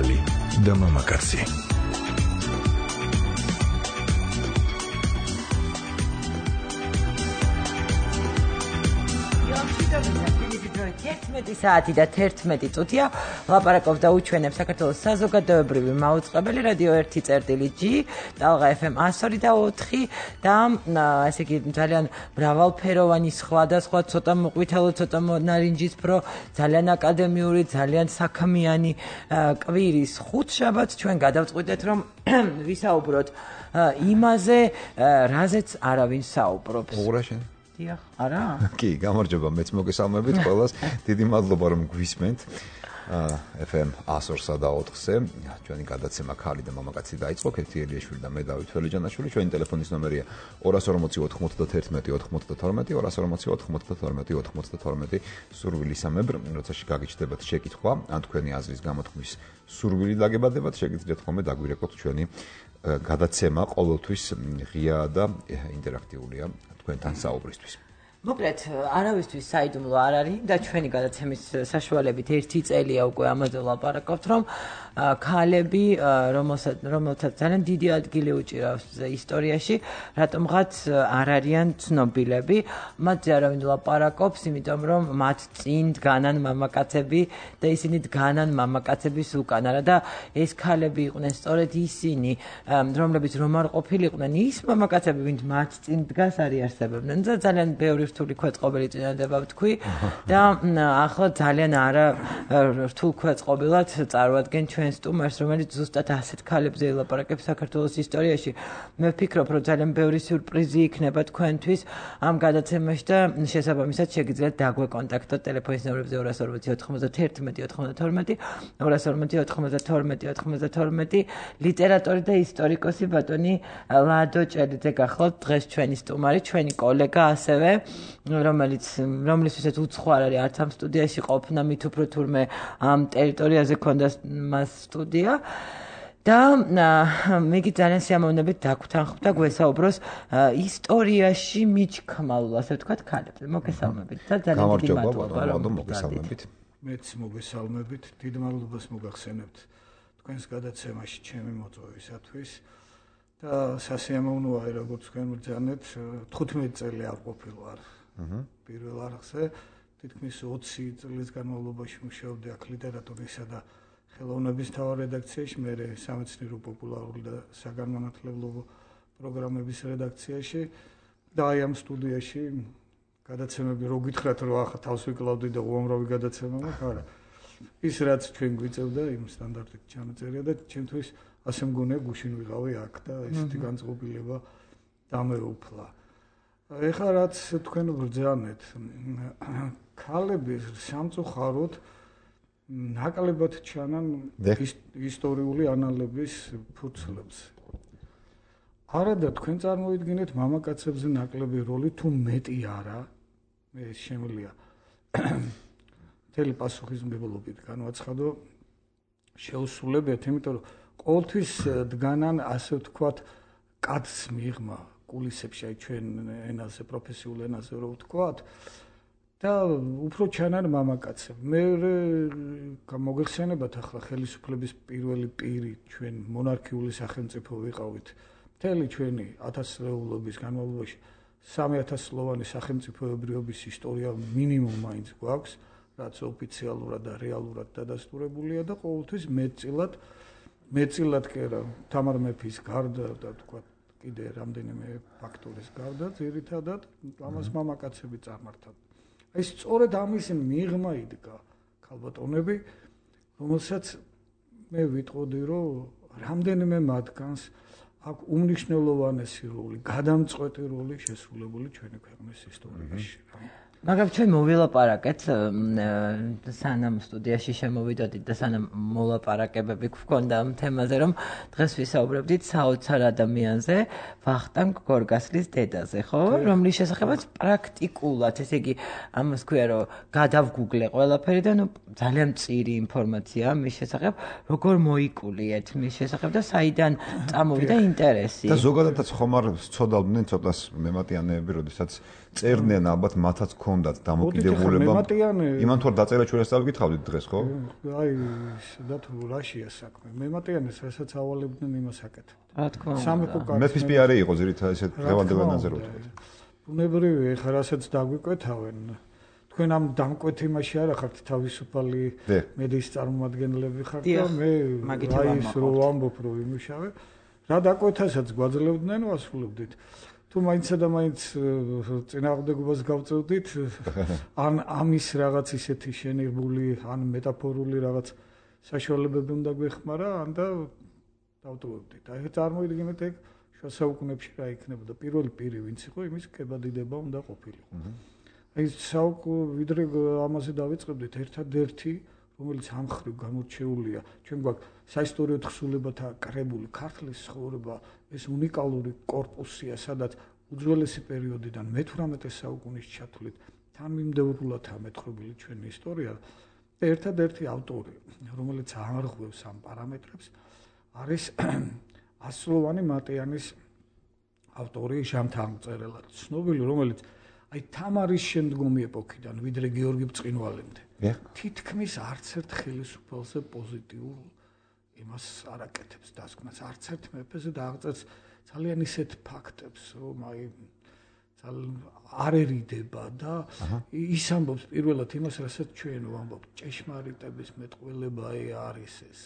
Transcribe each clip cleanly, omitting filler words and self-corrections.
ახალი და მამაკაცი. საათი და 11 წუთია ლაპარაკობ და უჩვენებ საქართველოს საზოგადოებრივი მაუწყებელი რადიო 1.G, ტალღა FM 102.4 და ესე იგი ძალიან მრავალფეროვანი სხვადასხვა ცოტა მოყვითალო, ცოტა ნარინჯისფრო, ძალიან აკადემიური, ძალიან საქმიანი კვირის ხუთშაბათს ჩვენ გადავწყვიტეთ რომ ვისაუბროთ იმაზე, რაზეც არავინ საუბრობს. დიახ, არა? კი, გამარჯობა, მეც მოგესალმებით ყველას. დიდი მადლობა რომ გვისმენთ. FM 102.4-ზე ჩვენი გადაცემა ქალი და მამაკაცი დაიწყო. ქეთი ელიაშვილი და მე დავით ველიჯანაშვილი. ჩვენი ტელეფონის ნომერია 240-91-92, სურვილისამებრ, როცა გაგიჩნდებათ შეკითხვა, ან თქვენი აზრის გამოთქმის სურვილი დაგებადებათ, შეგიძლიათ ხოლმე დაგვირეკოთ ჩვენი გადაცემა ყოველთვის ღია და ინტერაქტიულია თქვენთან საუბრისთვის. მოკლედ, არავისთვის საიდუმლო არ არის და ჩვენი გადაცემის საშუალებით 1 წელია უკვე ამაზე ვლაპარაკობთ, რომ ქალები, რომელთაც ძალიან დიდი ადგილი უჭირავს ისტორიაში, რატომღაც არ არიან ცნობილები, მათზე არავინ ლაპარაკობს, იმიტომ რომ მათ წინ დგანან მამაკაცები და ისინი დგანან მამაკაცების უკან. არა და ეს ქალები იყვნენ სწორედ ისინი, რომლებიც რომ არ ყოფილიყვნენ ის მამაკაცები, ვინც მათ წინ დგას არ იარსებებდნენ. და ძალიან ბევრი რთული ქვეწყობილი წინადადება ვთქვი და ახლა ძალიან არა რთულ ქვეწყობილად წარვადგენ ჩვენ სტუმარს, რომელიც ზუსტად ასეთ ქალებზე ელაპარაკებს საქართველოს ისტორიაში. მე ვფიქრობ, რომ ძალიან ბევრი სიურპრიზი იქნება თქვენთვის ამ გადაცემაში და შესაბამისად შეგიძლიათ დაგვეკონტაქტოთ ტელეფონის ნომრებზე 240-91-92, ლიტერატორი და ისტორიკოსი ბატონი ლადო ჭელიძე გახლავთ დღეს ჩვენი სტუმარი, ჩვენი კოლეგა ასევე, რომლისთვისაც უცხო არ არის არც ამ სტუდიაში ყოფნა, მით უფრო თურმე ამ ტერიტორიაზე ქონდა მას სტუდია და მეგი ძალიან სიამოვნებით დაგვთანხმ და გვესაუბროს ისტორიაში მიჩქმალულ, ასე ვთქვათ, ქალებზე. მოგესალმებით და ძალიან დიდი მადლობა რომ მოგესალმებით. მეც მოგესალმებით, დიდ მადლობას მოგახსენებთ თქვენს გადაცემაში ჩემი მოწვევისათვის. და სასიამოვნოა, როგორც თქვენ ბრძანეთ, 15 წელი არ ყოფილვარ პირველ არხზე, თითქმის 20 წლის განმავლობაში მუშაობდი აქ ლიტერატურისა და ხელოვნების მთავარ რედაქციაში, მერე სამეცნიერო პოპულარული და საგანმანათლებლო პროგრამების რედაქციაში და აი ამ სტუდიაში გადაცემები რო გითხრათ, რომ ახლა თავს ვიკლავდი და უამრავი გადაცემა მაქვს, არა. ის რაც ჩვენ გვიწევდა იმ სტანდარტით ჩანაწერია და ჩემთვის ასე მგონია გუშინ ვიყავი აქ და ესეთი განწყობილება დამეუფლა. ეხლა რაც თქვენ ბრძანეთ, ქალები სამწუხაროდ ნაკლებად ჩანან ისტორიული ანალების ფურცლებს. არა და თქვენ წარმოიდგინეთ მამაკაცებზე ნაკლები როლი თუ მეტი არა, მე შემიძლია მთელი პასუხისმგებლობით განვაცხადო შეუსრულებიათ, იმიტომ რომ ყოველთვის დგანან, ასე ვთქვათ, კაცს მიღმა კულისებში, აი ჩვენ ენაზე, პროფესიულ ენაზე რო ვთქვათ, და უფრო ჩანან მამაკაცები. მე მოგეხსენებათ ახლა ხელისუფლების პირველი პირი ჩვენ მონარქიული სახელმწიფო ვიყავით. მთელი ჩვენი 1000 წლეულობის განმავლობაში 3000 წლოვანი სახელმწიფოებრიობის ისტორია მინიმუმ მაინც გვაქვს, რაც ოფიციალურად და რეალურად დადასტურებულია და ყოველთვის მეწილად კი არა, თამარ მეფის გარდა და თქვა კიდე რამდენიმე ფაქტორის გარდა, ძირითადად ამას მამაკაცები წარმართავდნენ. აი სწორედ ამის მიღმა იდგა ქალბატონები, რომელსაც მე ვიტყოდი, რომ რამდენიმე მათგანს აქვს უმნიშვნელოვანესი როლი, გადამწყვეტი როლი შესრულებული ჩვენი ქვეყნის ისტორიაში. მაგრამ ჩვენ მოვილაპარაკეთ სანამ სტუდიაში შემოვიდოდით და სანამ მოლაპარაკებები გვქონდა ამ თემაზე, რომ დღეს ვისაუბრებდით საოცარ ადამიანზე, ვახტანგ გორგასლის დედაზე, ხო? რომლის შესახებაც პრაქტიკულად, ესე იგი, ამას ქვია, რომ გადავგუგლე ყველაფერი და ძალიან მწირი ინფორმაცია მის შესახებ, როგორ მოიკულიეთ მის შესახებ და საიდან წამოვიდა ინტერესი. და ზოგადადაც ხომ არ ცოდავდნენ ცოტას მემატიანეები, როდესაც წერდნენ ალბათ მათაც ჰქონდათ დამოკიდებულება. იმან თუ არ დაწერა ჩვენ ეს დავიკითხავდით დღეს, ხო? აი, სადათ რაშია საქმე. მემატიანეს რასაც ავალებდნენ იმას აკეთებდნენ. რა თქმა უნდა. სამეფო კარს. მეფის პიარი იყო ძირითადად ესეთ დღევანდელად ვთქვათ. ბუნებრივია, ეხლა რასაც დაგვიკვეთავენ. თქვენ ამ დამკვეთ იმაში არ ახართ თავისუფალი მედიის წარმომადგენლები ხართ და მე რაის რო ვამბობ რო იმუშავე. რა დაკვეთასაც გვაძლევდნენ ვასრულებდით. თუ მაინცსა და მაინც წინააღმდეგობას გავწევდით, ან ამის რაღაც ისეთი შენიღბული, ან მეტაფორული რაღაც საშუალებები უნდა გვეხმარა, ან და დავტოვებდით. აი წარმოიდგინეთ ეგ შუა საუკუნეებში რა იქნებოდა. პირველი პირი ვინც იყო, იმის კებადიდება უნდა ყოფილიყო. აი ვიდრე ამაზე დავიწყებდით, ერთადერთი რომელიც ამ ხრივ გამორჩეულია, ჩვენ გვაქვს საისტორიო თხზულებათა კრებული ქართლის ცხოვრება, ეს უნიკალური კორპუსია, სადაც უძველესი პერიოდიდან მე-18 საუკუნის ჩათვლით თანმიმდევრულადაა მეტყობილი ჩვენი ისტორია და ერთადერთი ავტორი, რომელიც ამარღვევს ამ პარამეტრებს, არის ასლოვანი მატიანის ავტორი ჟამთამწერელად, ცნობილი, რომელიც აი თამარის შემდგომი ეპოქიდან, ვიდრე გიორგი ბრწყინვალემდე. თითქმის არც ერთ ხელისუფალზე პოზიტიურ იმას არ აკეთებს დასკვნას, არც ერთ მეფეზე და აღწერს ძალიან ისეთ ფაქტებს, რომ აი არერიდება და ის ამბობს პირველად იმას, რასაც ჩვენ ვამბობთ, ჭეშმარიტების მეტყველება არის ეს.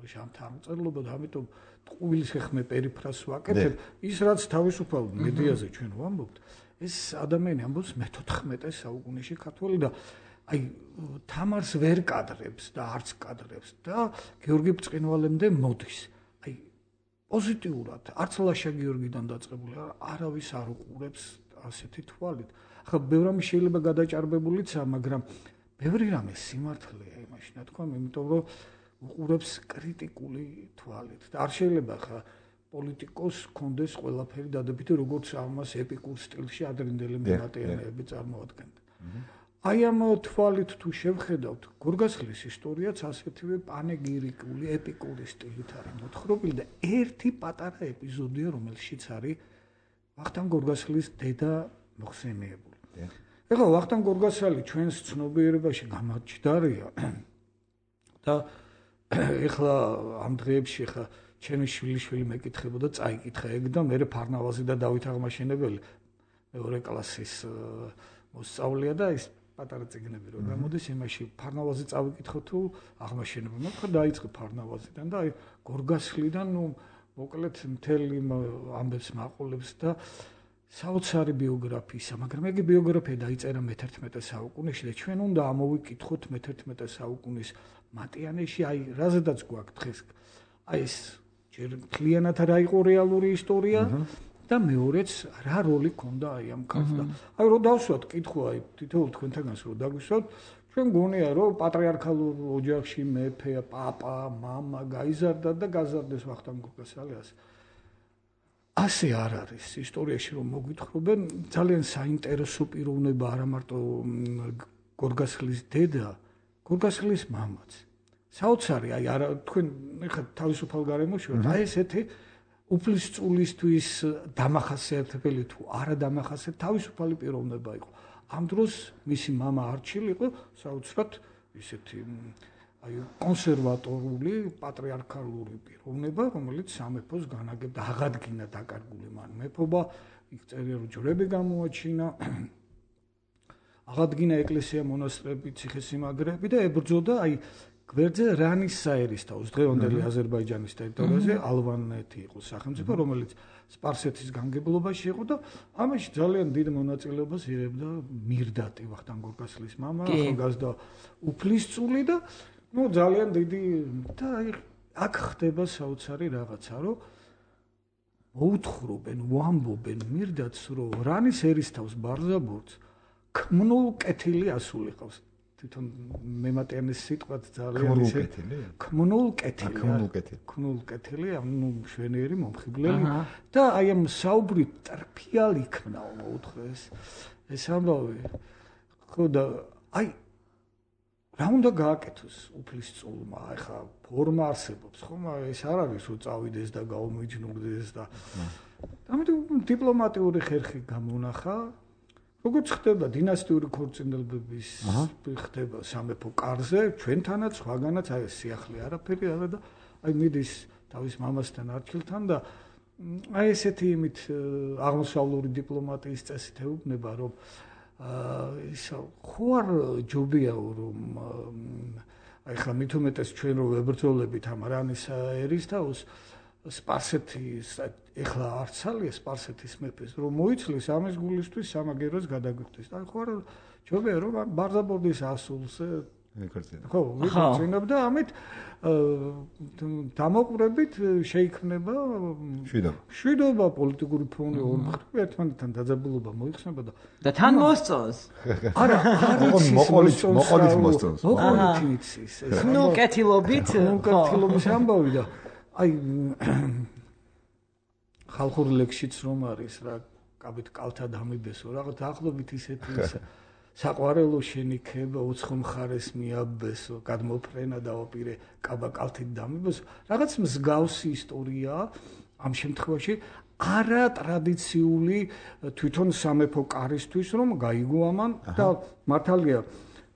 ჟამთამწერლობა და ამიტომ ტყუილის ხმე პერიფრას ვაკეთებ, ის რაც თავისუფალ მედიაზე ჩვენ ვამბობთ, ეს ადამიანი ამბობს მე-14 საუკუნეში ქართველი და აი თამარს ვერ კადრებს და არც კადრებს და გიორგი ბრწყინვალემდე მოდის. აი პოზიტიურად, არც ლაშა გიორგიდან დაწყებული არავის არ უყურებს ასეთი თვალით. ახლა ბევრი რამე შეიძლება გადაჭარბებულიცაა, მაგრამ ბევრი რამე სიმართლეა იმაში, ნათქვამ, იმიტომ რომ უყურებს კრიტიკული თვალით. და არ შეიძლება ახლა პოლიტიკოს კონდეს ყველაფერი დადებითი, როგორც ამას ეპიკურ სტილში ადრინდელი მემატიანეები წარმოადგენდნენ. აი ამ თვალით თუ შევხედავთ, გორგასლის ისტორიაც ასეთივე პანეგირიკული, ეპიკური სტილით არის მოთხრობილი და ერთი პატარა ეპიზოდია, რომელშიც არის ვახტანგ გორგასლის დედა მოხსენიებული. ეხლა ვახტანგ გორგასალი ჩვენს ცნობიერებაში გამაჩნდარია და ეხლა ამ დღეებში ეხლა ჩემი შვილიშვილი მეკითხებოდა, წაიკითხა ეგ და მე ფარნავაზი და დავით აღმაშენებელი მეორე კლასის მოსწავლეა და ის პატარა წიგნები რო გამოდის იმაში ფარნავაზი წავიკითხო თუ აღმაშენებელი. მაგრამ დაიწყე ფარნავაზიდან და აი გორგასლიდან ნუ მოკლედ მთელი ამბებს მაყოლებს და საოცარი ბიოგრაფიისა, მაგრამ ეგ ბიოგრაფია დაიწერა მე-11 საუკუნეში და ჩვენ უნდა ამოვიკითხოთ მე-11 საუკუნის მატიანეში, აი რაზედაც გვაქვს დღეს. აი ეს ჯერ მთლიანად რა იყო რეალური ისტორია და მეორეც რა როლი ქონდა აი ამ ქალს და აი რო დავსვათ კითხვა აი თითოეულ თქვენთანაც რო დაგვისვათ, ჩვენ გონია რომ პატრიარქალურ ოჯახში მეფე, პაპა, მამა გაიზარდა და გაზარდეს ვახტანგ გორგასალიას. ასე არ არის ისტორიაში რომ მოგვითხრობენ, ძალიან საინტერესო პიროვნება არა მარტო გორგასლის დედა, გორგასლის მამაც. საოცარი, აი არა თქვენ ეხლა თავისუფალ გარემოში ვართ, აი ესეთი უფლისწულისთვის დამახასიათებელი თუ არა დამახასიათებელი თავისუფალი პიროვნება იყო. ამ დროს მისი მამა არჩილი იყო საოცრად ისეთი აი კონსერვატორული, პატრიარქალური პიროვნება, რომელიც სამეფოს განაგებდა, აღადგინა დაკარგული მან მეფობა, იქ წერია რომ ჯვრები გამოაჩინა, აღადგინა ეკლესია, მონასტრები, ციხესიმაგრეები და ებრძოდა აი გვერდზე რანის საერისთაოს დღევანდელი აზერბაიჯანის ტერიტორიაზე ალვანეთი იყო სახელმწიფო, რომელიც სპარსეთის განგებლობაში იყო და ამაში ძალიან დიდ მონაწილეობას იღებდა მირდატი, ვახტანგ გორგასლის მამა, ახალგაზრდა უფლისწული და ნუ ძალიან დიდი და აქ ხდება საოცარი რაღაცა, რომ მოუთხრობენ, ვამბობენ მირდატს, რომ რანის ერისთავს ბარზაბურთს ქმნულ კეთილი ასულიყავს. თვითონ მემატიანის სიტყვაც ძალიან ისე ქმნულ კეთილი, ანუ მშვენიერი მომხიბლელი და აი ამ საუბრი ტრფიალი იქნაო მოუთხრეს ეს ამბავი. ხო და აი რა უნდა გააკეთოს უფლისწულმა, ეხა ფორმა არსებობს, ხომ? ეს არ არის რომ წავიდეს და გაუმიჯნურდეს და ამიტომ დიპლომატიური ხერხი გამონახა როგორც ხდება დინასტიური ქორწინებების ხდება სამეფო კარზე, ჩვენთანაც, სხვაგანაც აი ეს სიახლე არაფერი არა და აი მიდის თავის მამასთან არჩილთან და აი ესეთი იმით აღმოსავლური დიპლომატიის წესით ეუბნება, რომ ისა ხო არ ჯობია რომ აი ხა მით უმეტეს ჩვენ რო ვებრძოლებით ამ რანის ერისთაოს სპარსეთის ეხლა არც ალია სპარსეთის მეფეს რომ მოიცლის ამის გულისთვის სამაგეროს გადაგვიხდეს. აი ხო არ ჯობია რომ ბარზაბოდის ასულს ხო ვიქორწინებ და ამით დამოყვრებით შეიქმნება შვიდობა პოლიტიკური ფონი ორ მხრივ ერთმანეთთან დაძაბულობა მოიხსნება და თან მოსწონს არა მოყოლით მოსწონს მოყოლითიც ნუ კეთილობით კეთილობის ამბავი და აი ხალხურ ლექსშიც რომ არის რა კაბით კალთა დამიბესო რაღაც ახლობით ისეთი საყვარელო შენიქება უცხო მხარეს მიაბესო გადმოფრენა დაოპირე კაბა კალთით დამიბესო რაღაც მსგავსი ისტორია ამ შემთხვევაში არა ტრადიციული თვითონ სამეფო კარისთვის რომ გაიგო ამან და მართალია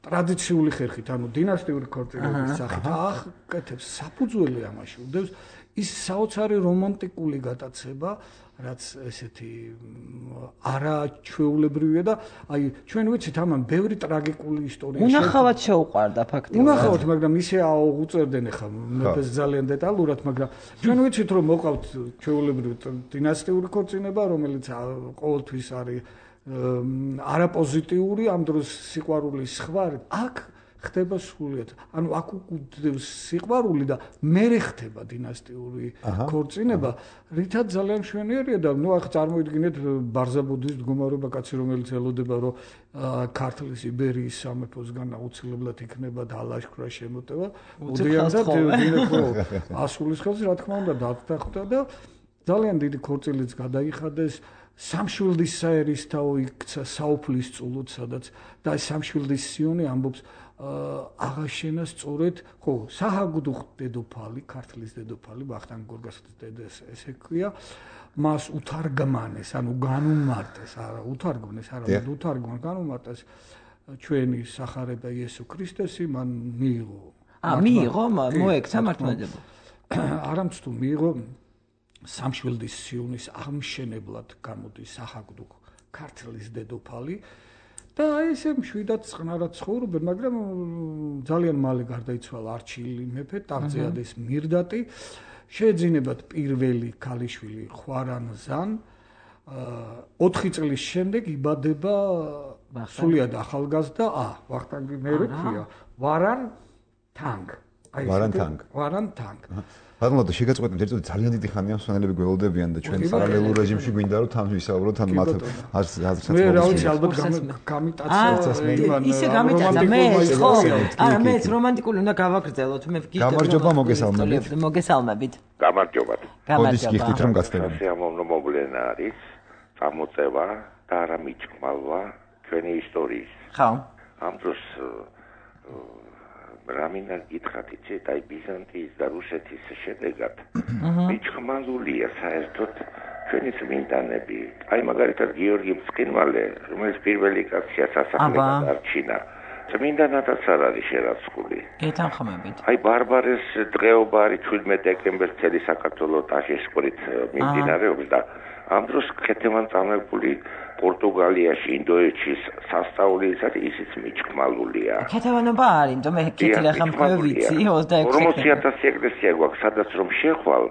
ტრადიციული ხერხით ანუ დინასტიური ქორწინების სახით აკეთებს საფუძველი ამაში უდევს ის საოცარი რომანტიკული გატაცება რაც ესეთი არაჩვეულებრივია და აი ჩვენ ვიცით ამან ბევრი ტრაგიკული ისტორია უნახავად შეუყვარდა ფაქტიურად უნახავად მაგრამ ისე აუღუწერდნენ ახლა მეფეს ძალიან დეტალურად მაგრამ ჩვენ ვიცით რომ მოყავთ ჩვეულებრივი დინასტიური ქორწინება რომელიც ყოველთვის არის არაპოზიტიური ამ დროს სიყვარულის სხვა აქ ხდება სრულიად ანუ აქ უკუდევს სიყვარული და მერე ხდება დინასტიური ქორწინება რითაც ძალიან მშვენიერია და ნუ ახ წარმოიდგინეთ ბარზაბოდის მდგომარეობა კაცი რომელიც ელოდება რომ ქართლის იბერიის სამეფოსგან აუცილებლად იქნება დალაშქრა შემოტევა უდიანად დინებო ასულის ხელს რა თქმა უნდა დათანხმდა და ძალიან დიდი ქორწილიც გადაიხადეს სამშვილდის საერისთავო იქცა საუფლის წულოდ სადაც და სამშვილდის სიონი ამბობს აღაშენა სწორედ ხო საჰაგდუხ დედოფალი ქართლის დედოფალი ვახტანგ გორგასალის დედა ესე ქვია მას უთარგმანეს ანუ განუმარტეს არა უთარგმნეს არა უთარგმან განუმარტეს ჩვენი სახარება იესო ქრისტესი მან მიიღო მიიღო მოექცა მართლმადიდებლობა არამც თუ მიიღო სამშვილდის სიონის აღმშენებლად გამოდის საჰაგდუხ ქართლის დედოფალი და ესე მშვიდად წყნარად ცხოვრობენ, მაგრამ ძალიან მალე გარდაიცვალა არჩილი მეფე, ტახტზე ადეს მირდატი, შეეძინებათ პირველი ქალიშვილი ხვარანზან. 4 წლის შემდეგ იბადება სულიად ახალგაზრდა, ვახტანგი მერე ქვია, ვარან თანგ. ვარან თანგ. ბატონო, შეგაწყვეტეთ ერთად ძალიან დიდი ხანია მსვენელები გველოდებიან და ჩვენ პარალელურ რეჟიმში გვინდა რომ თან ვისაუბროთ თან მათ აზრსაც მე რა ვიცი ალბათ გამიტაცა ისე გამიტაცა მე ხო არა მეც რომანტიკული უნდა გავაგრძელოთ მე გამარჯობა მოგესალმებით გამარჯობათ მოდის გიხდით რომ გაცნობთ სიამოვნო მოვლენა არის წამოწევა და არა მიჭმალვა ჩვენი ისტორიის ხო ამ დროს რამინდა გითხრათ იცით აი ბიზანტიის და რუსეთის შედეგად მიჭმალულია საერთოდ ჩვენი წმინდანები აი მაგალითად გიორგი მწყინვალე რომელიც პირველი კაცია სასახლებად არჩინა წმინდანადაც არ არის შერაცხული გეთანხმებით აი ბარბარეს დღეობა არის 17 დეკემბერს წელი საქართველოს ტაშისყრით მიმდინარეობს და ამ დროს ქეთევან წამებული პორტუგალიაში, ინდოეთში სასწაულისად ისიც მიჭმალულია. ქეთევანობა არის, თუმცა მე კეთილი ახლა მქვევიცი 26 40000 ეკლესია გვაქვს, სადაც რომ შეხვალ,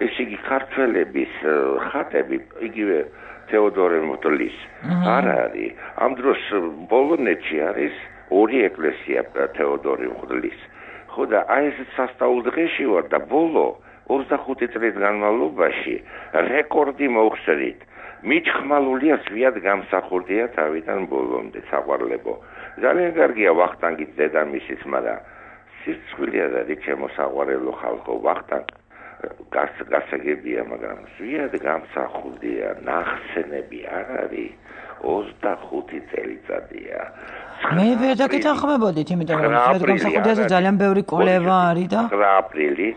ესე იგი ქართველების ხატები, იგივე თეოდორე მოდლის არ არის. ამ დროს ბოლონეთში არის 2 ეკლესია თეოდორე მოდლის. ხო და აი ეს სასწაულ დღეში ვარ და ბოლო 25 წლის განმავლობაში რეკორდი მოხსნით. მიჭმალულია ზვიად გამსახურდია თავიდან ბოლომდე საყვარლებო. ძალიან კარგია ვახტანგის დედამისიც, მაგრამ სირცხვილია და ჩემო საყვარელო ხალხო ვახტანგ გასაგებია, მაგრამ ზვიად გამსახურდია ნახსენები არ არის 25 წელიწადია. მე ვერ დაგეთანხმებოდით, იმიტომ რომ ზვიად გამსახურდიაზე ძალიან ბევრი კოლევა არის და 9 აპრილი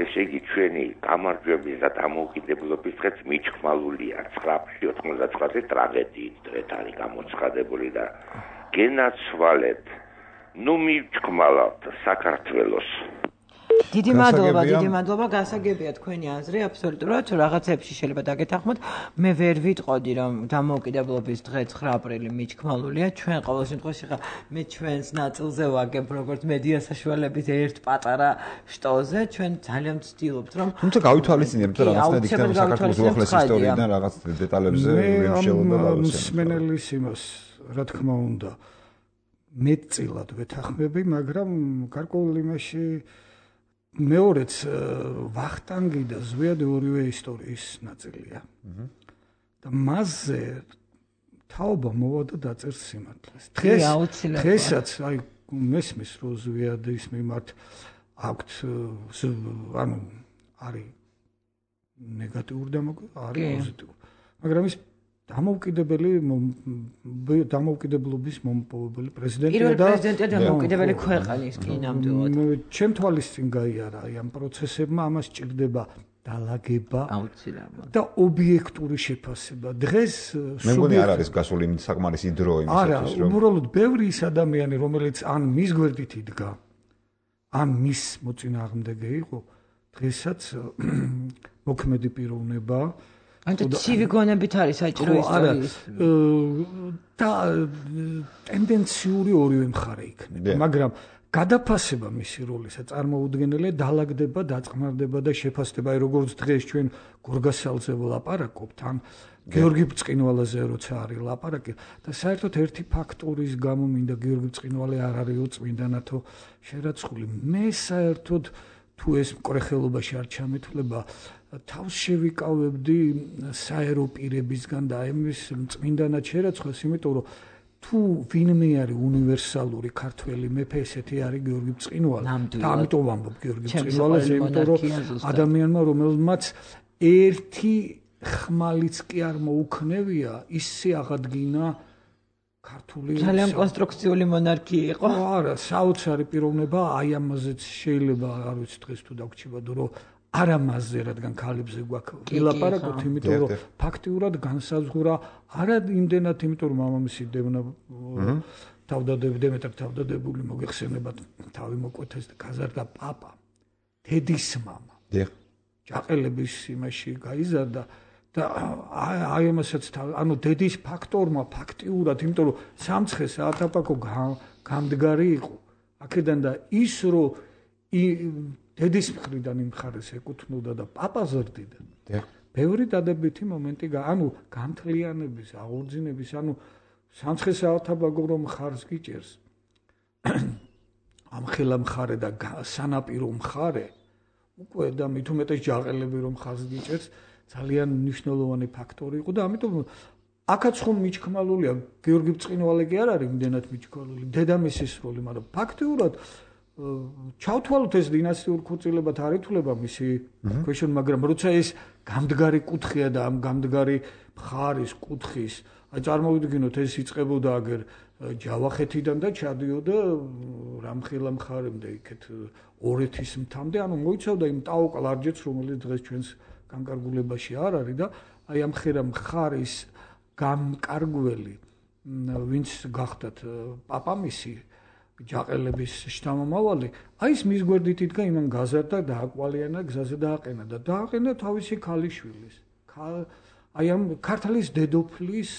ესე იგი ჩვენი გამარჯვების და დამოუკიდებლობის დღეც მიჩხმალულია 9-99-ზე ტრაგედიის დღეთ არის გამოცხადებული და გენაცვალეთ ნუ მიჩხმალავთ საქართველოს დიდი მადლობა გასაგებია თქვენი აზრი აბსოლუტურად რაღაცებში შეიძლება დაგეთანხმოთ მე ვერ ვიტყოდი რომ დამოუკიდებლობის დღე 9 აპრილი მიჩქმალულია ჩვენ ყოველ შემთხვევაში ხა მე ჩვენს ნაწილზე ვაგებ როგორც მედია საშუალების ერთ პატარა შტოზე ჩვენ ძალიან ვცდილობთ რომ თუმცა გავითვალისწინებთ და რაღაცნაირად იქნება საქართველოს უახლეს ისტორიიდან რაღაც დეტალებზე ვიმშელობა გავუსწრებ მსმენელის იმას რა თქმა უნდა მეტწილად ვეთანხმები მაგრამ გარკვეულ იმაში მეორეც ვახტანგი და ზვიადი ორივე ისტორიის ნაწილია. და მასზე თაობა მოვა და დაწერს სიმართლეს. დღესაც აი მესმის რო ზვიადის მიმართ აქვთ ანუ არის ნეგატიური და არის პოზიტიური. მაგრამ ის დამოუკიდებლობის მომპოვებელი პრეზიდენტია და პრეზიდენტია დამოუკიდებელი ქვეყნის კი ნამდვილად. ჩემ თვალის წინ გაიარა აი ამ პროცესებმა ამას ჭირდება დალაგება აუცილებლად და ობიექტური შეფასება. დღეს მე მგონი არ არის გასული საკმარისი დრო იმისათვის რომ უბრალოდ ბევრი ის ადამიანი რომელიც ან მის გვერდით იდგა ან მის მოწინააღმდეგე იყო დღესაც მოქმედი პიროვნება ანუ ცივი გონებით არის საჭირო ისტორიის და ტენდენციური ორივე მხარე იქნება მაგრამ გადაფასება მისი როლისა წარმოუდგენელია დალაგდება დაწყმარდება და შეფასდება აი როგორც დღეს ჩვენ გორგასალზე ვლაპარაკობთ ან გიორგი ბწყინვალაზე როცა არის ლაპარაკი და საერთოდ ერთი ფაქტორის გამო მინდა გიორგი ბწყინვალე არ არის უწმინდანათო შერაცხული მე საერთოდ თუ ეს მკრეხელობაში არ ჩამეთვლება თავს შევიკავებდი საერო პირებისგან და ამის წმინდანად შერაცხოს იმიტომ რომ თუ ვინმე არის უნივერსალური ქართველი მეფე ესეთი არის გიორგი ბწყინვალე და ამიტომ ვამბობ გიორგი ბწყინვალეს იმიტომ რომ ადამიანმა რომელმაც ერთი ხმალიც კი არ მოუქნევია ისე აღადგინა ქართული ძალიან კონსტრუქციული მონარქია იყო არა საოცარი პიროვნება აი ამაზეც შეიძლება არ ვიცი დღეს თუ დაგვრჩება რომ არა მასზე რადგან ქალებზე გვაქვს ვილაპარაკოთ იმიტომ რომ ფაქტიურად განსაზღვრა არა იმდენად იმიტომ რომ მამამისი დემეტრ თავდადებული მოგეხსენებათ თავი მოკვეთეს და გაზარდა პაპა დედის მამა ჯაყელების იმაში გაიზარდა და აი ამასაც ანუ დედის ფაქტორმა ფაქტიურად იმიტომ რომ სამცხე საათაპაკო გამდგარი იყო აქედან და ის რომ დედის მხრიდან იმ მხარეს ეკუთვნოდა და პაპა ზრდიდა ბევრი დადებითი მომენტი ანუ გამთლიანების აღორძინების ანუ სამცხე საათაპაკო რომ მხარს გიჭერს ამხელა მხარე და სანაპირო მხარე უკვე და მით უმეტეს ჯაყელები რომ მხარს გიჭერს ძალიან მნიშვნელოვანი ფაქტორი იყო და ამიტომ აქაც ხომ მიჩქმალულია გიორგი ბწყინვალე კი არ არის იმდენად მიჩქმალული დედამისის როლი მაგრამ ფაქტიურად ჩავთვალოთ ეს დინასტიურ ქორწილებად არ ითვლება მისი ქვეშონ მაგრამ როცა ეს გამდგარი კუთხეა და ამ გამდგარი მხარის კუთხის აი წარმოვიდგინოთ ეს იწყებოდა აგერ ჯავახეთიდან და ჩადიოდა რამხელა მხარემდე იქეთ ორეთის მთამდე ანუ მოიცავდა იმ ტაო კლარჯეთს რომელიც დღეს ჩვენს განკარგულებაში არ არის და აი ამ ხერა მხარის გამკარგველი ვინც გახდათ პაპამისი ჯაყელების შთამომავალი აი ეს მის გვერდით იდგა იმან გაზარდა და აკვალიანა გზაზე დააყენა და დააყენა თავისი ქალიშვილის აი ამ ქართლის დედოფლის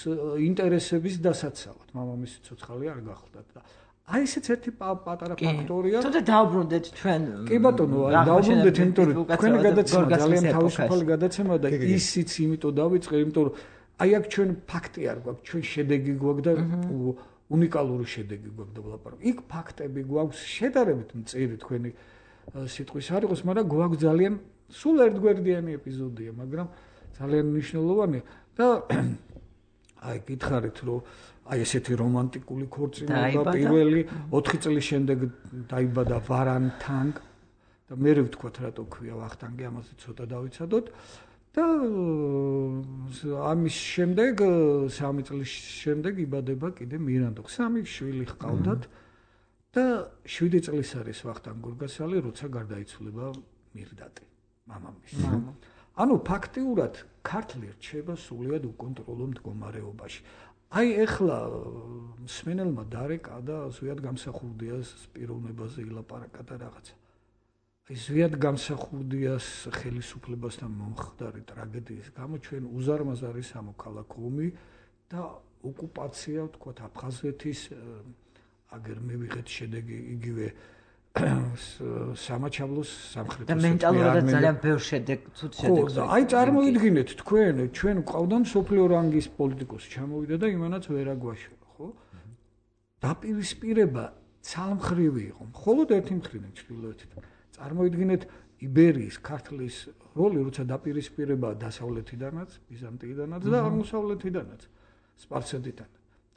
ინტერესების დასაცავად მამამისი ცოცხალი არ გახლდათ და აი ესეც ერთი პატარა ფაქტორია. თუმცა დაუბრუნდეთ ჩვენ. კი ბატონო, დაუბრუნდეთ იმიტომ რომ თქვენი გადაცემა ძალიან თავისუფალი გადაცემა და ისიც იმიტომ დავიწყე, იმიტომ რომ აი აქ ჩვენ ფაქტი არ გვაქვს, ჩვენ შედეგი გვაქვს და უნიკალური შედეგი გვაქვს და ვლაპარაკობ. იქ ფაქტები გვაქვს შედარებით მწირი თქვენი სიტყვის არ იყოს, მაგრამ გვაქვს ძალიან სულ ერთგვერდიანი ეპიზოდია, მაგრამ ძალიან მნიშვნელოვანი და აი გითხარით რომ აი ესეთი რომანტიკული ქორწინება პირველი 4 წლის შემდეგ დაიბადა ვარანთანგ და მე ვთქვათ რატო ქვია ვახტანგი ამაზე ცოტა დავიცადოთ და ამის შემდეგ 3 წლის შემდეგ იბადება კიდე მირანდო 3 შვილი ჰყავდათ და 7 წლის არის ვახტანგ გორგასალი როცა გარდაიცვალება მირდატი, მამამისი. ანუ ფაქტიურად ქართლი რჩება სულიად უკონტროლო მდგომარეობაში. აი ეხლა მსმენელმა დარეკა და ზვიად გამსახურდიას პიროვნებაზე ილაპარაკა და რაღაცა. აი ზვიად გამსახურდიას ხელისუფლებასთან მომხდარი ტრაგედიის გამო ჩვენ უზარმაზარი სამოქალაქო ომი და ოკუპაცია, ვთქვათ, აფხაზეთის აგერ მივიღეთ შედეგი იგივე სამაჩაბლოს სამხრეთ ოსეთის და მენტალურად ძალიან ბევრ ცუდ შედეგს. აი წარმოიდგინეთ თქვენ, ჩვენ ყავდა მსოფლიო რანგის პოლიტიკოსი ჩამოვიდა და იმანაც ვერ აგვაშორა, ხო? დაპირისპირება ცალმხრივი იყო, მხოლოდ ერთი მხრიდან ჩრდილოეთით. წარმოიდგინეთ იბერიის ქართლის როლი, როცა დაპირისპირება დასავლეთიდანაც, ბიზანტიიდანაც და აღმოსავლეთიდანაც, სპარსეთიდან.